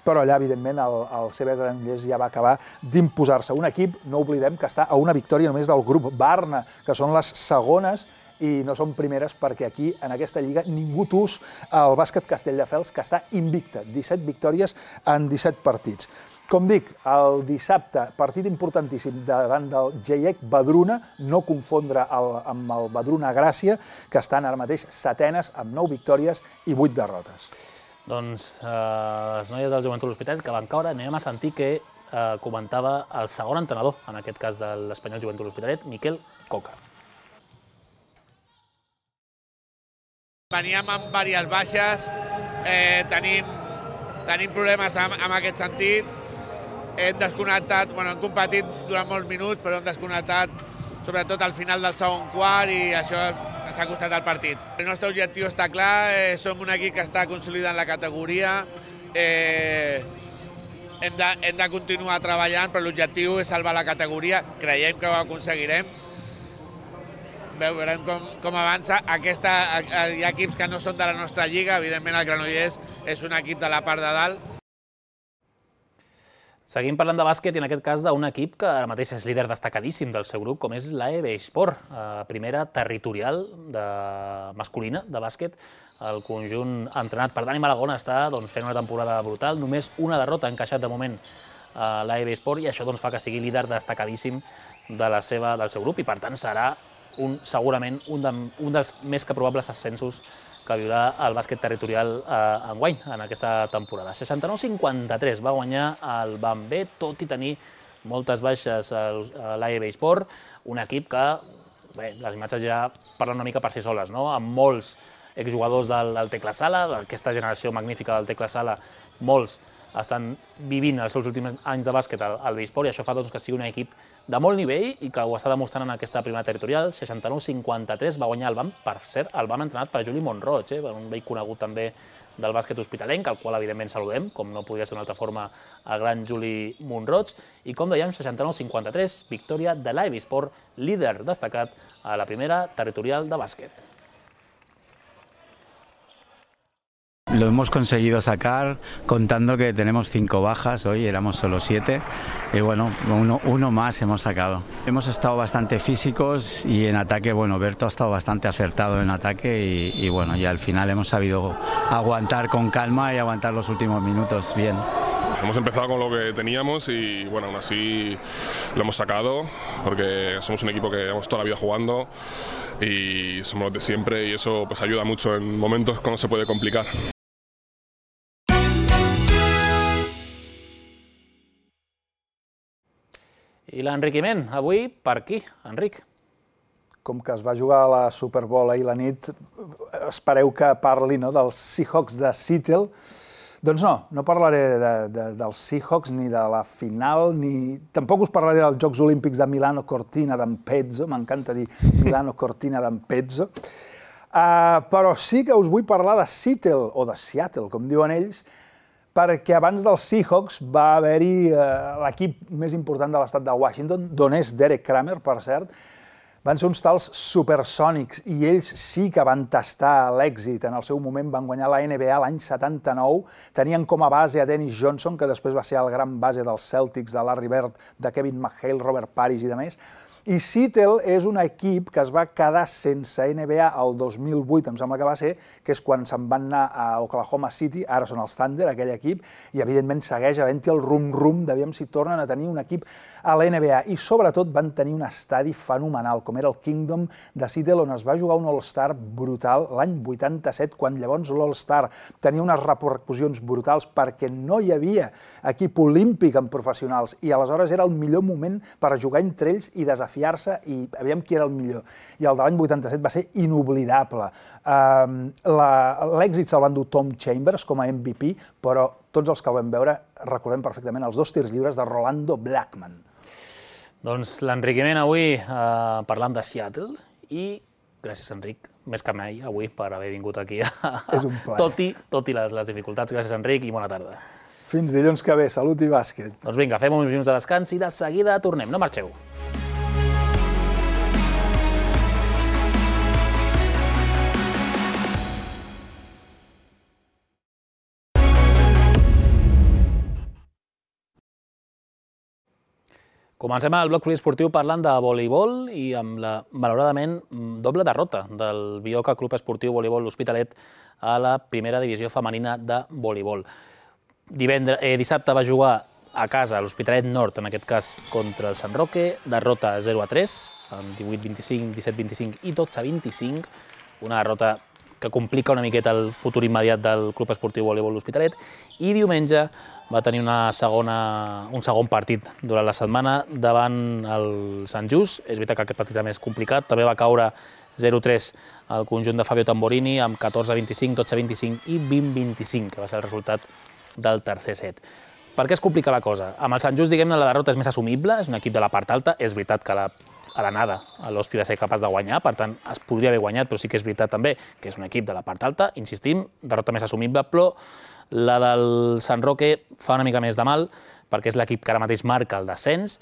però allà, evidentment, el, el C B Granollers ja va acabar d'imposar-se. Un equip, no oblidem, que està a una victòria només del grup Barna, que són les segones i no són primeres perquè aquí, en aquesta lliga, ningú tus el bàsquet Castelldefels, que està invicta, disset victòries en disset partits. Com dic, el dissabte, partit importantíssim davant del G I E C Badruna, no confondre el, amb el Badruna Gràcia, que estan ara mateix setenes amb nou victòries i vuit derrotes. Doncs eh, les noies del Joventut L'Hospitalet que van caure, anem a sentir que eh, comentava el segon entrenador, en aquest cas de l'Espanyol Joventut L'Hospitalet, Miquel Coca. Veníem amb diverses baixes, eh, tenim, tenim problemes amb, amb aquest sentit. Hem desconnectat, bueno, hem competit durant molts minuts, però hem desconnectat sobretot al final del segon quart i això ens ha costat el partit. El nostre objectiu està clar, eh, som un equip que està consolidant la categoria, eh, hem, de, hem de continuar treballant, però l'objectiu és salvar la categoria, creiem que ho aconseguirem. Veurem com, com avança. Aquesta, hi ha equips que no són de la nostra lliga, evidentment el Granollers és un equip de la part de dalt. Seguim parlant de bàsquet i en aquest cas d'un equip que ara mateix és líder destacadíssim del seu grup, com és l'A E B Esport, primera territorial de, masculina de bàsquet. El conjunt entrenat per Dani Malagón està doncs, fent una temporada brutal, només una derrota ha encaixat de moment a l'A E B Esport i això doncs, fa que sigui líder destacadíssim de la seva, del seu grup i per tant serà un, segurament un, de, un dels més que probables ascensos que viurà el bàsquet territorial eh, enguany, en aquesta temporada. seixanta-nou a cinquanta-tres va guanyar el Bambé, tot i tenir moltes baixes a l'A E B Esport, un equip que, bé, les imatges ja parlen una mica per si soles, no? Amb molts exjugadors del, del Tecla Sala, d'aquesta generació magnífica del Tecla Sala, molts estan vivint els seus últims anys de bàsquet al, al B-Sport i això fa doncs, que sigui un equip de molt nivell i que ho està demostrant en aquesta primera territorial. seixanta-nou a cinquanta-tres va guanyar el B A M, per cert, el B A M entrenat per Juli Montroig, eh, un vell conegut també del bàsquet hospitalenc, al qual evidentment saludem, com no podria ser d'una altra forma el gran Juli Montroig. I com dèiem, seixanta-nou a cinquanta-tres, victòria de l'A E B Esport, líder destacat a la primera territorial de bàsquet. Lo hemos conseguido sacar contando que tenemos cinco bajas, hoy éramos solo siete y bueno, uno, uno más hemos sacado. Hemos estado bastante físicos y en ataque, bueno, Berto ha estado bastante acertado en ataque y, y bueno, y al final hemos sabido aguantar con calma y aguantar los últimos minutos bien. Hemos empezado con lo que teníamos y bueno, aún así lo hemos sacado porque somos un equipo que llevamos toda la vida jugando y somos los de siempre y eso pues ayuda mucho en momentos cuando se puede complicar. I l'enriquiment, avui per qui, Enric? Com que es va jugar a la Super Bowl ahir la nit, espereu que parli no, dels Seahawks de Seattle. Doncs no, no parlaré de, de, dels Seahawks ni de la final, ni tampoc us parlaré dels Jocs Olímpics de Milano Cortina d'Ampezzo, m'encanta dir Milano Cortina d'Ampezzo, uh, però sí que us vull parlar de Seattle, o de Seattle, com diuen ells, perquè abans dels Seahawks va haver-hi eh, l'equip més important de l'estat de Washington, d'on és Derek Kramer, per cert. Van ser uns tals supersònics i ells sí que van tastar l'èxit. En el seu moment van guanyar la N B A l'any setanta-nou, tenien com a base a Dennis Johnson, que després va ser el gran base dels Celtics, de Larry Bird, de Kevin McHale, Robert Parrish i de més. I Seattle és un equip que es va quedar sense N B A el dos mil vuit, em sembla que va ser, que és quan se'n van anar a Oklahoma City, ara són els Thunder, aquell equip, i evidentment segueix havent-hi el rum-rum d'aviam si tornen a tenir un equip a la N B A. I sobretot van tenir un estadi fenomenal, com era el Kingdom de Seattle, on es va jugar un All-Star brutal l'any vuitanta-set, quan llavors l'All-Star tenia unes repercussions brutals perquè no hi havia equip olímpic en professionals i aleshores era el millor moment per jugar entre ells i desafiar-se i aviam qui era el millor. I el de l'any vuitanta-set va ser inoblidable. Uh, L'èxit se'l van dur Tom Chambers com a M V P, però tots els que el vam veure recordem perfectament els dos tirs lliures de Rolando Blackman. Doncs l'enriquiment avui eh, parlant de Seattle i gràcies, Enric, més que mai avui per haver vingut aquí. És un plaer. Tot i, tot i les, les dificultats. Gràcies, Enric, i bona tarda. Fins dilluns que ve. Salut i bàsquet. Doncs vinga, fem uns minuts de descans i de seguida tornem. No marxeu. Comencem el bloc poliesportiu parlant de voleibol i amb la, malauradament, doble derrota del Bioca Club Esportiu Voleibol L'Hospitalet a la primera divisió femenina de voleibol. Divendres, eh, dissabte va jugar a casa l'Hospitalet Nord, en aquest cas contra el Sant Roque, derrota zero a tres, amb divuit a vint-i-cinc, disset a vint-i-cinc i dotze a vint-i-cinc, una derrota que complica una miqueta el futur immediat del Club Esportiu Voleibol L'Hospitalet, i diumenge va tenir una segona, un segon partit durant la setmana davant el Sant Just. És veritat que aquest partit també és complicat, també va caure zero a tres al conjunt de Fabio Tamborini amb catorze a vint-i-cinc, dotze a vint-i-cinc i vint a vint-i-cinc, que va ser el resultat del tercer set. Per què es complica la cosa? Amb el Sant Just, diguem-ne, la derrota és més assumible, és un equip de la part alta, és veritat que la a l'anada l'Hospi va ser capaç de guanyar, per tant es podria haver guanyat, però sí que és veritat també que és un equip de la part alta, insistim, derrota més assumible, però la del Sant Roque fa una mica més de mal, perquè és l'equip que ara mateix marca el descens,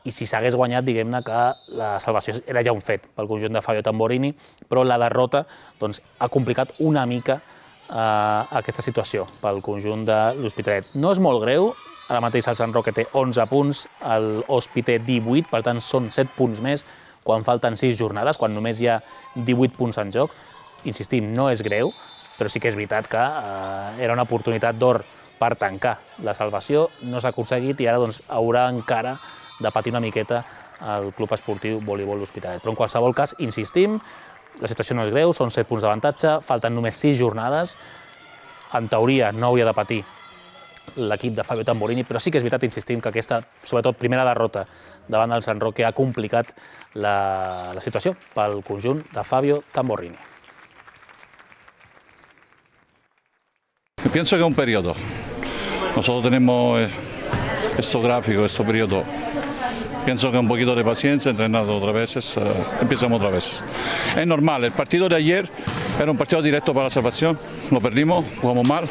i si s'hagués guanyat, diguem-ne que la salvació era ja un fet pel conjunt de Fabio Tamborini, però la derrota doncs, ha complicat una mica eh, aquesta situació pel conjunt de l'Hospitalet. No és molt greu, ara mateix el Sant Roque té onze punts, l'Hospi té divuit, per tant són set punts més quan falten sis jornades, quan només hi ha divuit punts en joc. Insistim, no és greu, però sí que és veritat que eh, era una oportunitat d'or per tancar la salvació, no s'ha aconseguit i ara doncs, haurà encara de patir una miqueta el Club Esportiu Voleibol L'Hospitalet. Però en qualsevol cas, insistim, la situació no és greu, són set punts d'avantatge, falten només sis jornades, en teoria no hauria de patir l'equip de Fabio Tamborini, però sí que és veritat, insistim, que aquesta, sobretot, primera derrota davant del Sant Roque ha complicat la, la situació pel conjunt de Fabio Tamborini. Pienso que es un periodo. Nosotros tenemos estos gráficos, este periodo. Pienso que un poquito de paciencia, entrenando otra vez, uh, empezamos otra vez. Es normal, el partido de ayer era un partido directo para la salvación, lo perdimos, jugamos mal.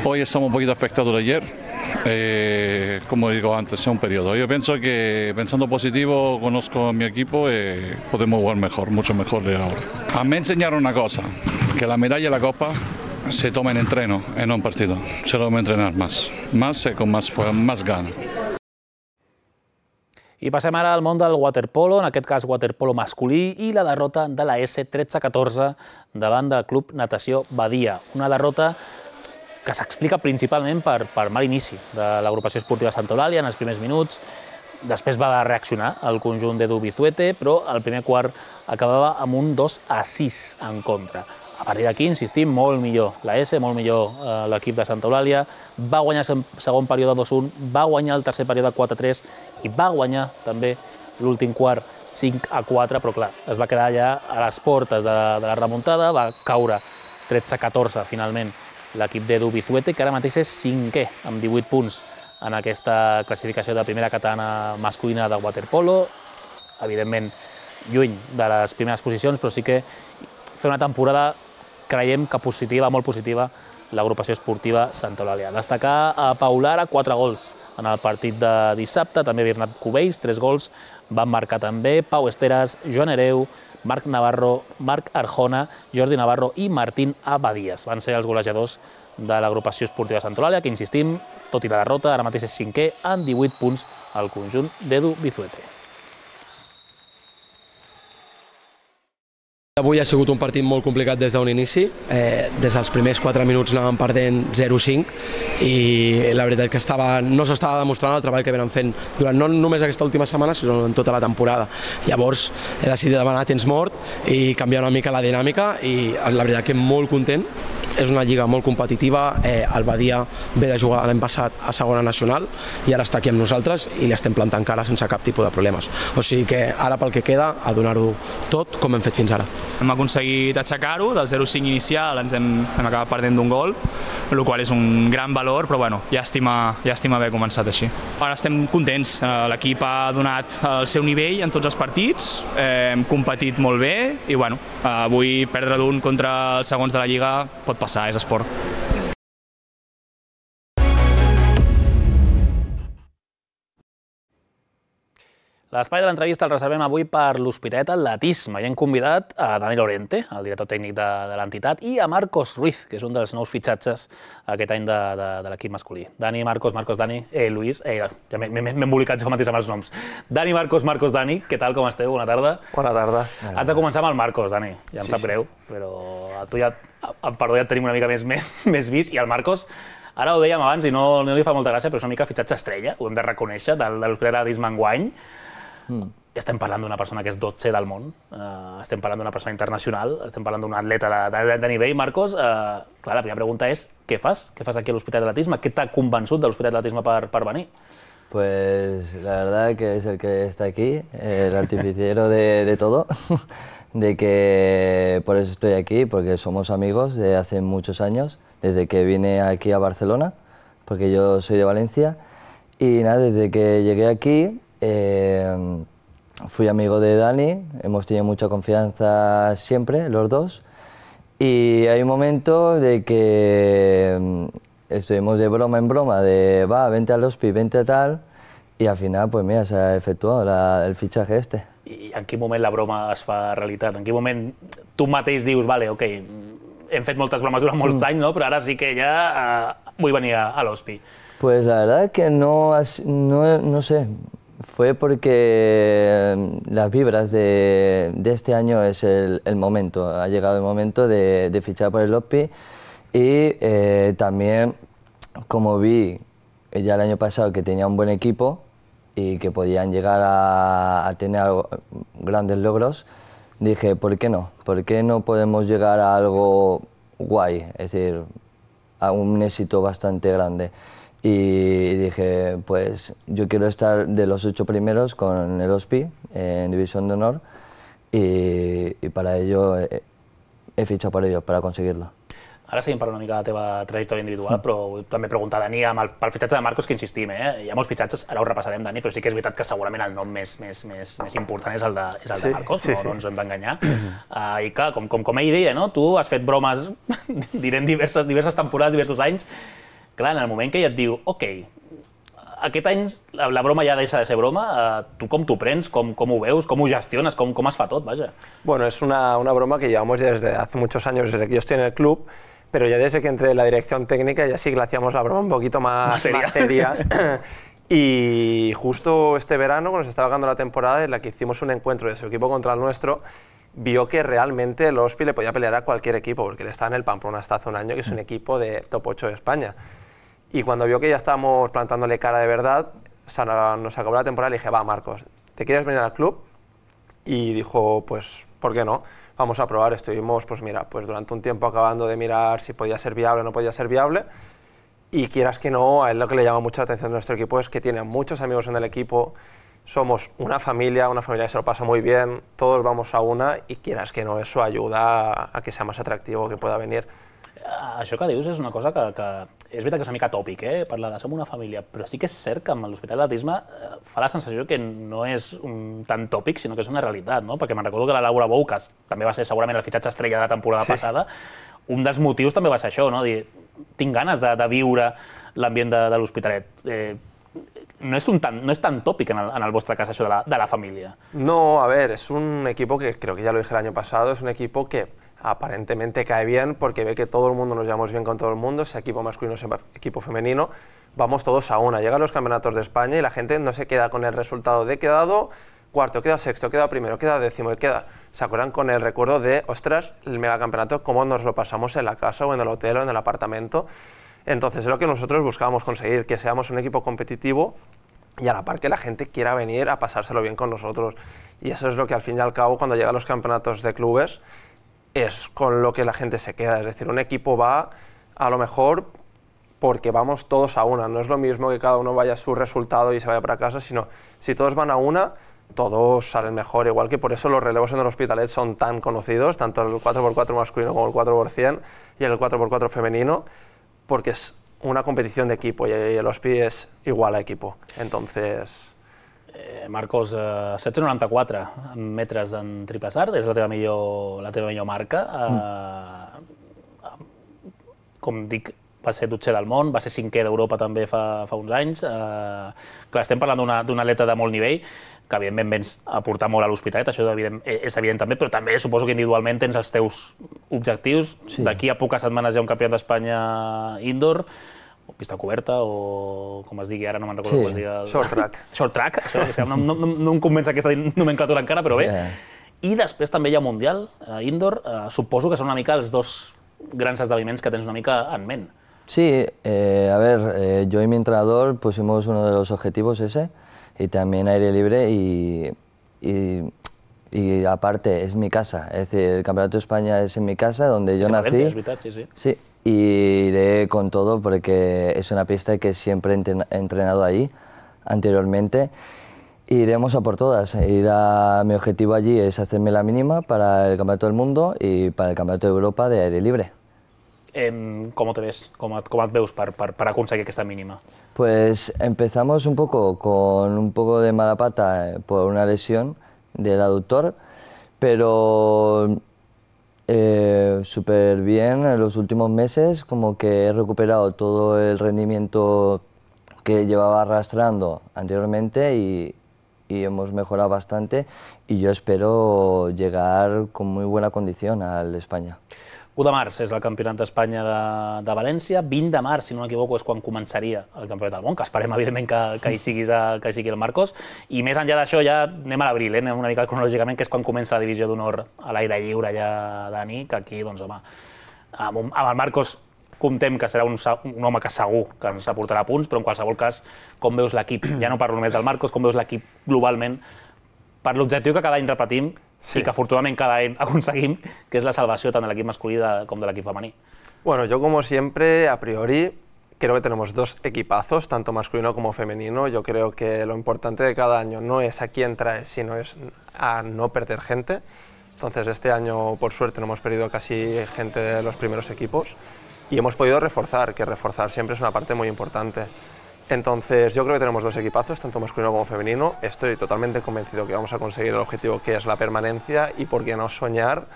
Hoy estamos un poquito afectados de ayer, eh, como digo antes, es un periodo. Yo pienso que pensando positivo, conozco a mi equipo y eh, podemos jugar mejor, mucho mejor de ahora. A mí me enseñaron una cosa, que la medalla y la copa se toma en entreno, en no en partido. Se lo debe entrenar más, más y con más, más ganas. I passem ara al món del waterpolo, en aquest cas waterpolo masculí, i la derrota de la S tretze a catorze davant del Club Natació Badia. Una derrota que s'explica principalment per, per mal inici de l'agrupació esportiva Santa Eulàlia en els primers minuts. Després va reaccionar el conjunt d'Edu Bizuete, però el primer quart acabava amb un dos a sis en contra. A partir d'aquí, insistim, molt millor la S, molt millor eh, l'equip de Santa Eulàlia, va guanyar el segon període dos a un, va guanyar el tercer període quatre a tres i va guanyar també l'últim quart cinc a quatre, però clar, es va quedar allà a les portes de, de la remuntada, va caure tretze a catorze finalment l'equip d'Edu Bizuete, que ara mateix és cinquè amb divuit punts en aquesta classificació de primera catalana masculina de waterpolo, evidentment lluny de les primeres posicions, però sí que fer una temporada creiem que positiva, molt positiva, l'agrupació esportiva Santa Eulàlia. Destacar a Pau Lara, quatre gols en el partit de dissabte, també Bernat Cubells, tres gols, van marcar també Pau Esteras, Joan Hereu, Marc Navarro, Marc Arjona, Jordi Navarro i Martín Abadías. Van ser els golejadors de l'agrupació esportiva Santa Eulàlia, que insistim, tot i la derrota, ara mateix és cinquè, amb divuit punts al conjunt d'Edu Bizuete. Avui ha sigut un partit molt complicat des d'un inici, eh, des dels primers quatre minuts anàvem perdent zero a cinc i la veritat que estava, no s'estava demostrant el treball que venen fent durant no només aquesta última setmana, sinó en tota la temporada. Llavors he decidit demanar temps mort i canviar una mica la dinàmica i la veritat que molt content. És una lliga molt competitiva, eh, el Badia ve de jugar l'any passat a segona nacional i ara està aquí amb nosaltres i li estem plantant cara sense cap tipus de problemes. O sigui que ara pel que queda, a donar-ho tot com hem fet fins ara. Hem aconseguit aixecar-ho, del zero a cinc inicial ens hem, hem acabat perdent d'un gol, el qual és un gran valor, però bueno, llàstima, llàstima haver començat així. Ara estem contents, l'equip ha donat el seu nivell en tots els partits, eh, hem competit molt bé i bueno, avui perdre d'un contra els segons de la Lliga pot passar, és esport. L'espai de l'entrevista el reservem avui per l'Hospitalet Atletisme i hem convidat a Dani Lorente, el director tècnic de, de l'entitat, i a Marcos Ruiz, que és un dels nous fitxatges aquest any de, de, de l'equip masculí. Dani, Marcos, Marcos, Dani, eh, Luis, eh, ja m'he embolicat jo mateix amb els noms. Dani, Marcos, Marcos, Dani, què tal, com esteu? Bona tarda. Bona tarda. Has de començar amb el Marcos, Dani, ja em Sí, sap sí. greu, però a tu ja, em perdó, ja et tenim una mica més, més, més vist, i el Marcos, ara ho dèiem abans i no, no li fa molta gràcia, però és una mica fitxatge estrella, ho hem de reconèixer, del, de l'Hospitalet Atletisme enguany. Mm. Estem parlant d'una persona que és dotze del món, uh, estem parlant d'una persona internacional, estem parlant d'un atleta de, de, de nivell. Marcos, uh, clar, la primera pregunta és què fas? Què fas aquí a l'Hospitalet Atletisme? Què t'ha convençut de l'Hospitalet Atletisme per, per venir? Pues la verdad que es el que está aquí, el artificiero de, de todo, de que por eso estoy aquí, porque somos amigos de hace muchos años, desde que vine aquí a Barcelona, porque yo soy de Valencia, y nada, desde que llegué aquí eh, fui amigo de Dani, hemos tenido mucha confianza siempre, los dos, y hay un momento de que estuvimos de broma en broma, de va, vente al Hospi, vente a tal, y al final, pues mira, se ha efectuado la, el fichaje este. I en quin moment la broma es fa realitat? En quin moment tu mateix dius, vale, ok, hem fet moltes bromes durant molts anys, no? Però ara sí que ja uh, vull venir a, a l'Hospi. Pues la verdad que no, no, no sé, fue porque las vibras de, de este año es el, el momento, ha llegado el momento de, de fichar por el Hospi y eh, también como vi ya el año pasado que tenía un buen equipo y que podían llegar a, a tener algo, grandes logros, dije, ¿por qué no? ¿Por qué no podemos llegar a algo guay? Es decir, a un éxito bastante grande. Y dije, pues yo quiero estar de los ocho primeros con el Hospi en División de Honor y, y para ello he, he fichado por ello, para conseguirlo. Ara seguim parlant una mica de la teva trajectòria individual, però vull també preguntar a Dani, amb el, pel fitxatge de Marcos, que insistim, eh? Hi ha molts fitxatges, ara ho repassarem, Dani, però sí que és veritat que segurament el nom més, més, més, més important és el de, és el de Sí, Marcos, sí, no, sí. no ens hem d'enganyar. Uh, I clar, com, com, com ell deia, no? Tu has fet bromes, direm, diverses, diverses temporades, diversos anys. Clar, en el moment que ella et diu, ok, aquest any la, la broma ja deixa de ser broma, uh, tu com t'ho prens, com, com ho veus, com ho gestiones, com, com es fa tot, vaja. Bueno, es una, una broma que llevamos desde hace muchos años, desde que yo estoy en el club, pero ya desde que entré en la dirección técnica ya sí que le hacíamos la broma un poquito más, Más seria. más seria. Y justo este verano, cuando se estaba acabando la temporada, en la que hicimos un encuentro de su equipo contra el nuestro, vio que realmente el Hospi le podía pelear a cualquier equipo, porque él estaba en el Pamplona hasta hace un año, que es un equipo de top ocho de España. Y cuando vio que ya estábamos plantándole cara de verdad, o sea, nos acabó la temporada y le dije, va, Marcos, ¿te quieres venir al club? Y dijo, pues, ¿por qué no? Vamos a probar. Estuvimos, pues mira, pues durante un tiempo acabando de mirar si podía ser viable o no podía ser viable. Y quieras que no, a él lo que le llama mucho la atención de nuestro equipo es que tiene muchos amigos en el equipo, somos una familia, una familia que se lo pasa muy bien, todos vamos a una y quieras que no, eso ayuda a, a que sea más atractivo, que pueda venir. Això que dius és una cosa que, que és veritat que és una mica tòpic, eh? Parlar de som una família, però sí que és cert que amb l'Hospitalet Atletisme eh, fa la sensació que no és un, tan tòpic, sinó que és una realitat, no? Perquè me'n recordo que la Laura Bou, que també va ser segurament el fitxatge estrella de la temporada Sí. passada, un dels motius també va ser això, no? Dir, tinc ganes de, de viure l'ambient de, de l'Hospitalet. Eh, no, és un tan, no és tan tòpic en el, en el vostre cas això de la, de la família. No, a ver, es un equipo que creo que ya lo dije el año pasado, es un equipo que aparentemente cae bien porque ve que todo el mundo nos llevamos bien con todo el mundo, sea equipo masculino, sea equipo femenino, vamos todos a una. Llegan los campeonatos de España y la gente no se queda con el resultado de quedado cuarto, queda sexto, queda primero, queda décimo, queda... Se acuerdan con el recuerdo de, ostras, el megacampeonato, cómo nos lo pasamos en la casa o en el hotel o en el apartamento. Entonces es lo que nosotros buscábamos conseguir, que seamos un equipo competitivo y a la par que la gente quiera venir a pasárselo bien con nosotros. Y eso es lo que al fin y al cabo, cuando llegan los campeonatos de clubes, es con lo que la gente se queda. Es decir, un equipo va a lo mejor porque vamos todos a una. No es lo mismo que cada uno vaya a su resultado y se vaya para casa, sino si todos van a una, todos salen mejor. Igual que por eso los relevos en el Hospitalet son tan conocidos, tanto el cuatro por cuatro masculino como el cuatro por cien y el cuatro por cuatro femenino, porque es una competición de equipo y el Hospi es igual a equipo. Entonces... Eh, Marcos, eh, setze coma noranta-quatre metres en triple salt, és la teva millor, la teva millor marca. Eh, com dic, va ser dotzer del món, va ser cinquè d'Europa també fa, fa uns anys. Eh, clar, estem parlant d'un atleta de molt nivell, que evidentment vens a aportar molt a l'Hospitalet, això evident, és evident també, però també suposo que individualment tens els teus objectius. Sí. D'aquí a poques setmanes hi ha un campionat d'Espanya indoor, o pista coberta, o com es digui ara, no me'n recordo sí. com es digui. El... Short track. Short track, això, és que no, no, no, no em convenç aquesta nomenclatura encara, però bé. Yeah. I després també hi ha Mundial, eh, indoor, eh, suposo que són una mica els dos grans esdeveniments que tens una mica en ment. Sí, eh, a ver, eh, yo y mi entrenador pusimos uno de los objetivos ese, y también aire libre y, y, y aparte es mi casa, es decir, el Campeonato de España es en mi casa, donde yo sí, nací. Valencia, es verdad, sí, sí. Sí, y iré con todo porque es una pista que siempre he entrenado ahí anteriormente. Iremos a por todas. Ir a, mi objetivo allí es hacerme la mínima para el Campeonato del Mundo y para el Campeonato de Europa de aire libre. Eh, ¿Cómo te ves? ¿Cómo, cómo et veus per, per, per aconseguir aquesta mínima? Pues empezamos un poco con un poco de mala pata por una lesión del aductor, pero eh, súper bien en los últimos meses, como que he recuperado todo el rendimiento que llevaba arrastrando anteriormente y, y hemos mejorado bastante y yo espero llegar con muy buena condición al España. u de març és el Campionat d'Espanya de, de València, vint de març, si no m'equivoco, és quan començaria el Campionat del Món, que esperem, evidentment, que, que, hi, siguis a, que hi sigui el Marcos, i més enllà d'això ja anem a l'abril, eh? Anem una mica cronològicament, que és quan comença la divisió d'honor a l'aire lliure ja, Dani, que aquí, doncs, home, amb, un, amb el Marcos comptem que serà un, un home que segur que ens aportarà punts, però en qualsevol cas, com veus l'equip, ja no parlo només del Marcos, com veus l'equip globalment, per l'objectiu que cada any repetim, sí. I que afortunadament cada any aconseguim, que és la salvació tant de l'equip masculí de, com de l'equip femení. Bueno, yo como siempre, a priori, creo que tenemos dos equipazos, tanto masculino como femenino. Yo creo que lo importante de cada año no es a quién traes, sino es a no perder gente. Entonces este año, por suerte, no hemos perdido casi gente de los primeros equipos y hemos podido reforzar, que reforzar siempre es una parte muy importante. Entonces yo creo que tenemos dos equipazos, tanto masculino como femenino. Estoy totalmente convencido que vamos a conseguir el objetivo que es la permanencia y por qué no soñar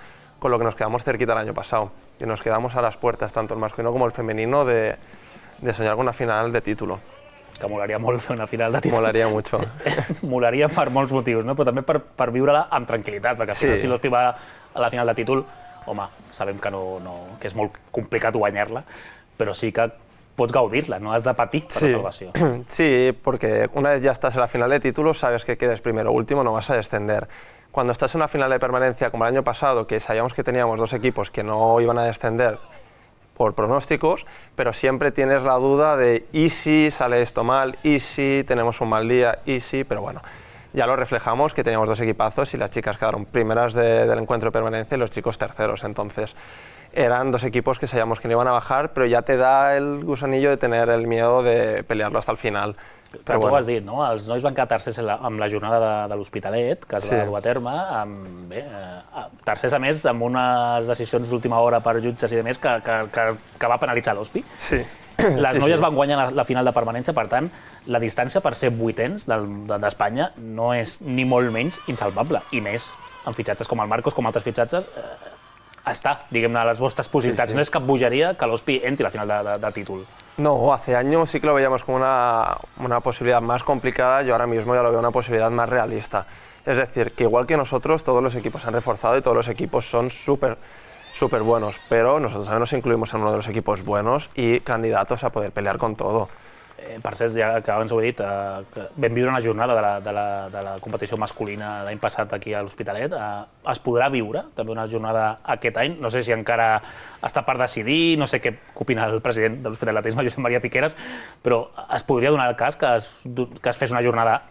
con lo que nos quedamos cerquita el año pasado, que nos quedamos a las puertas, tanto el masculino como el femenino, de, de soñar con una final de título. Que molaria molt fer una final de títol. Molaria mucho. Molaria per molts motius, no? Però també per, per viure-la amb tranquil·litat, perquè al final, sí. Si l'Hospi va a la final de títol, home, sabem que, no, no, que és molt complicat guanyar-la, però sí que pots gaudir-la, no has de patir per sí. la salvació. Sí, porque una vez ya estás en la final de título, sabes que quedes primero o último, no vas a descender. Cuando estás en una final de permanencia, como el año pasado, que sabíamos que teníamos dos equipos que no iban a descender por pronósticos, pero siempre tienes la duda de ¿y si sale esto mal? ¿Y si tenemos un mal día? ¿Y si? Pero bueno, ya lo reflejamos, que teníamos dos equipazos y las chicas quedaron primeras de, del encuentro de permanencia y los chicos terceros, entonces eran dos equipos que sabíamos que no iban a bajar, però ja te da el gusanillo de tener el miedo de pelearlo hasta el final. Però tu ho has dit, no? Els nois van quedar tercers amb la jornada de, de l'Hospitalet, que es va sí. dur a terme, amb, bé, eh, tercers a més amb unes decisions d'última hora per jutges i demés que, que, que, que va penalitzar l'Hospi. Sí. Les sí, noies sí. van guanyar la, la final de permanència, per tant, la distància per ser vuitens d'Espanya no és ni molt menys insalvable, i més amb fitxatges com el Marcos, com altres fitxatges, eh, està, diguem-ne, a les vostres possibilitats. Sí, sí. No és cap bogeria que l'Hospi entri a la final de, de, de títol. No, hace años sí que lo veíamos como una, una posibilidad más complicada, yo ahora mismo ya lo veo una posibilidad más realista. Es decir, que igual que nosotros, todos los equipos se han reforzado y todos los equipos son súper súper buenos, pero nosotros también nos incluimos en uno de los equipos buenos y candidatos a poder pelear con todo. Eh, per cert, ja que abans ho he dit, eh, que vam viure una jornada de la, de la, de la competició masculina l'any passat aquí a l'Hospitalet. Eh, es podrà viure també una jornada aquest any? No sé si encara està per decidir, no sé què opina el president de l'Hospitaletisme, Josep Maria Piqueras, però es podria donar el cas que es, que es fes una jornada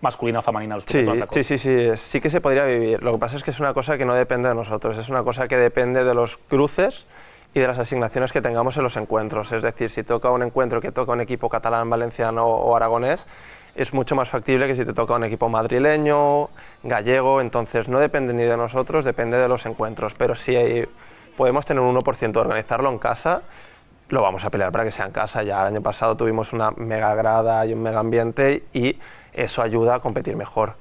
masculina o femenina a l'Hospitalet. Sí, sí, sí, sí, sí que se podría vivir. Lo que pasa es que es una cosa que no depende de nosotros, es una cosa que depende de los cruces y de las asignaciones que tengamos en los encuentros. Es decir, si toca un encuentro que toca un equipo catalán, valenciano o aragonés, es mucho más factible que si te toca un equipo madrileño, gallego. Entonces no depende ni de nosotros, depende de los encuentros. Pero si hay, podemos tener un uno por ciento de organizarlo en casa, lo vamos a pelear para que sea en casa. Ya el año pasado tuvimos una mega grada y un mega ambiente y eso ayuda a competir mejor.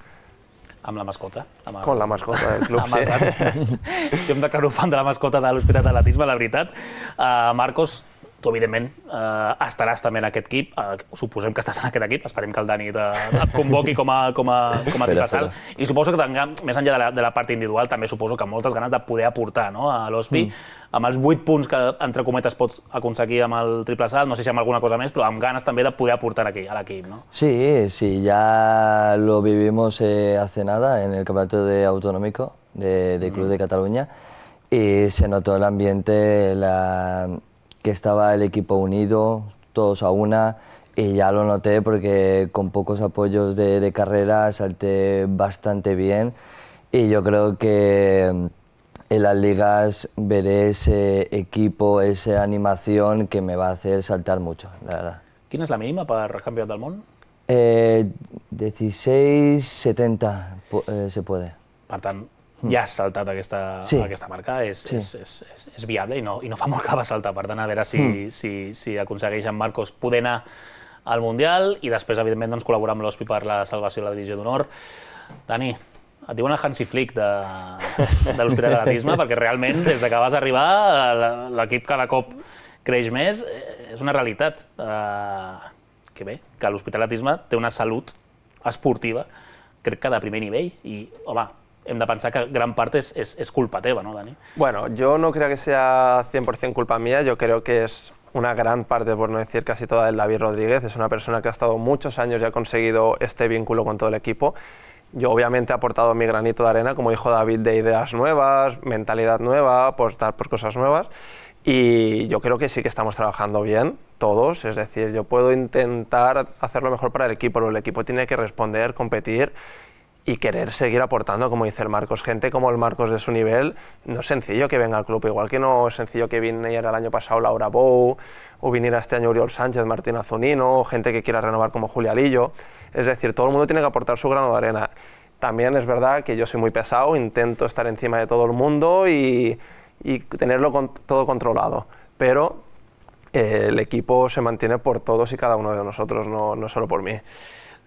Amb la mascota. Amb el... Con la mascota del club, sí. Jo em declaro fan de la mascota de l'Hospitalet d'Atletisme, la veritat. Uh, Marcos, tu, evidentment, eh, estaràs també en aquest equip, eh, suposem que estàs en aquest equip, esperem que el Dani te, et convoqui com a, com a, com a triple salt, i suposo que tenga, més enllà de la, de la part individual, també suposo que moltes ganes de poder aportar, no?, a l'O S P I, mm. amb els vuit punts que, entre cometes, pots aconseguir amb el triple salt, no sé si amb alguna cosa més, però amb ganes també de poder aportar aquí, a l'equip, ¿no? Sí, sí, ya lo vivimos eh, hace nada en el campeonato de autonómico de, de Club mm. de Cataluña, y se notó el ambiente, la, que estaba el equipo unido, todos a una, y ya lo noté porque con pocos apoyos de, de carrera salté bastante bien, y yo creo que en las ligas veré ese equipo, esa animación que me va a hacer saltar mucho, la verdad. Quina és la mínima per Campionat del Món? Eh, dieciséis setenta eh, se puede. Per tant, ja has saltat aquesta, sí. aquesta marca, és, sí. és, és, és, és viable i no, i no fa molt que va saltar, per tant, a veure si, mm. si, si aconsegueix en Marcos poder anar al Mundial i després, evidentment, doncs, col·laborar amb l'O S P I per la salvació de la divisió d'honor. Dani, et diuen el Hansi Flick de, de l'Hospitalet d'Atletisme, perquè realment, des que vas arribar, l'equip cada cop creix més, és una realitat. Uh, que bé, que l'Hospitalet d'Atletisme té una salut esportiva, crec que de primer nivell, i, home, hem de pensar que gran parte es, es, es culpa teva, ¿no, Dani? Bueno, yo no creo que sea cien por cien culpa mía, yo creo que es una gran parte, por no decir casi toda, de David Rodríguez. Es una persona que ha estado muchos años y ha conseguido este vínculo con todo el equipo. Yo obviamente he aportado mi granito de arena, como dijo David, de ideas nuevas, mentalidad nueva, apostar por cosas nuevas. Y yo creo que sí que estamos trabajando bien, todos. Es decir, yo puedo intentar hacer lo mejor para el equipo, pero el equipo tiene que responder, competir y querer seguir aportando, como dice el Marcos. Gente como el Marcos de su nivel, no es sencillo que venga al club, igual que no es sencillo que viniera el año pasado Laura Bou, o viniera este año Oriol Sánchez, Martín Azunino, o gente que quiera renovar como Julia Lillo. Es decir, todo el mundo tiene que aportar su grano de arena. También es verdad que yo soy muy pesado, intento estar encima de todo el mundo y, y tenerlo con, todo controlado, pero eh, el equipo se mantiene por todos y cada uno de nosotros, no, no solo por mí.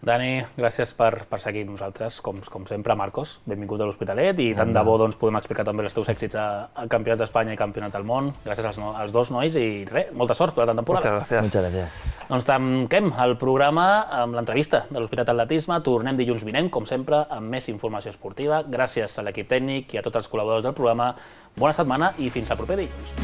Dani, gràcies per, per seguir amb nosaltres, com, com sempre, Marcos. Benvingut a l'Hospitalet i tant de bo doncs, podem explicar també els teus èxits a, a Campionats d'Espanya i Campionat del Món. Gràcies als, no, als dos nois i res, molta sort per la temporada. Muchas gracias. Muchas gracias. Doncs tanquem el programa amb l'entrevista de l'Hospitalet d'Atletisme. Tornem dilluns vinent, com sempre, amb més informació esportiva. Gràcies a l'equip tècnic i a tots els col·laboradors del programa. Bona setmana i fins al proper dilluns.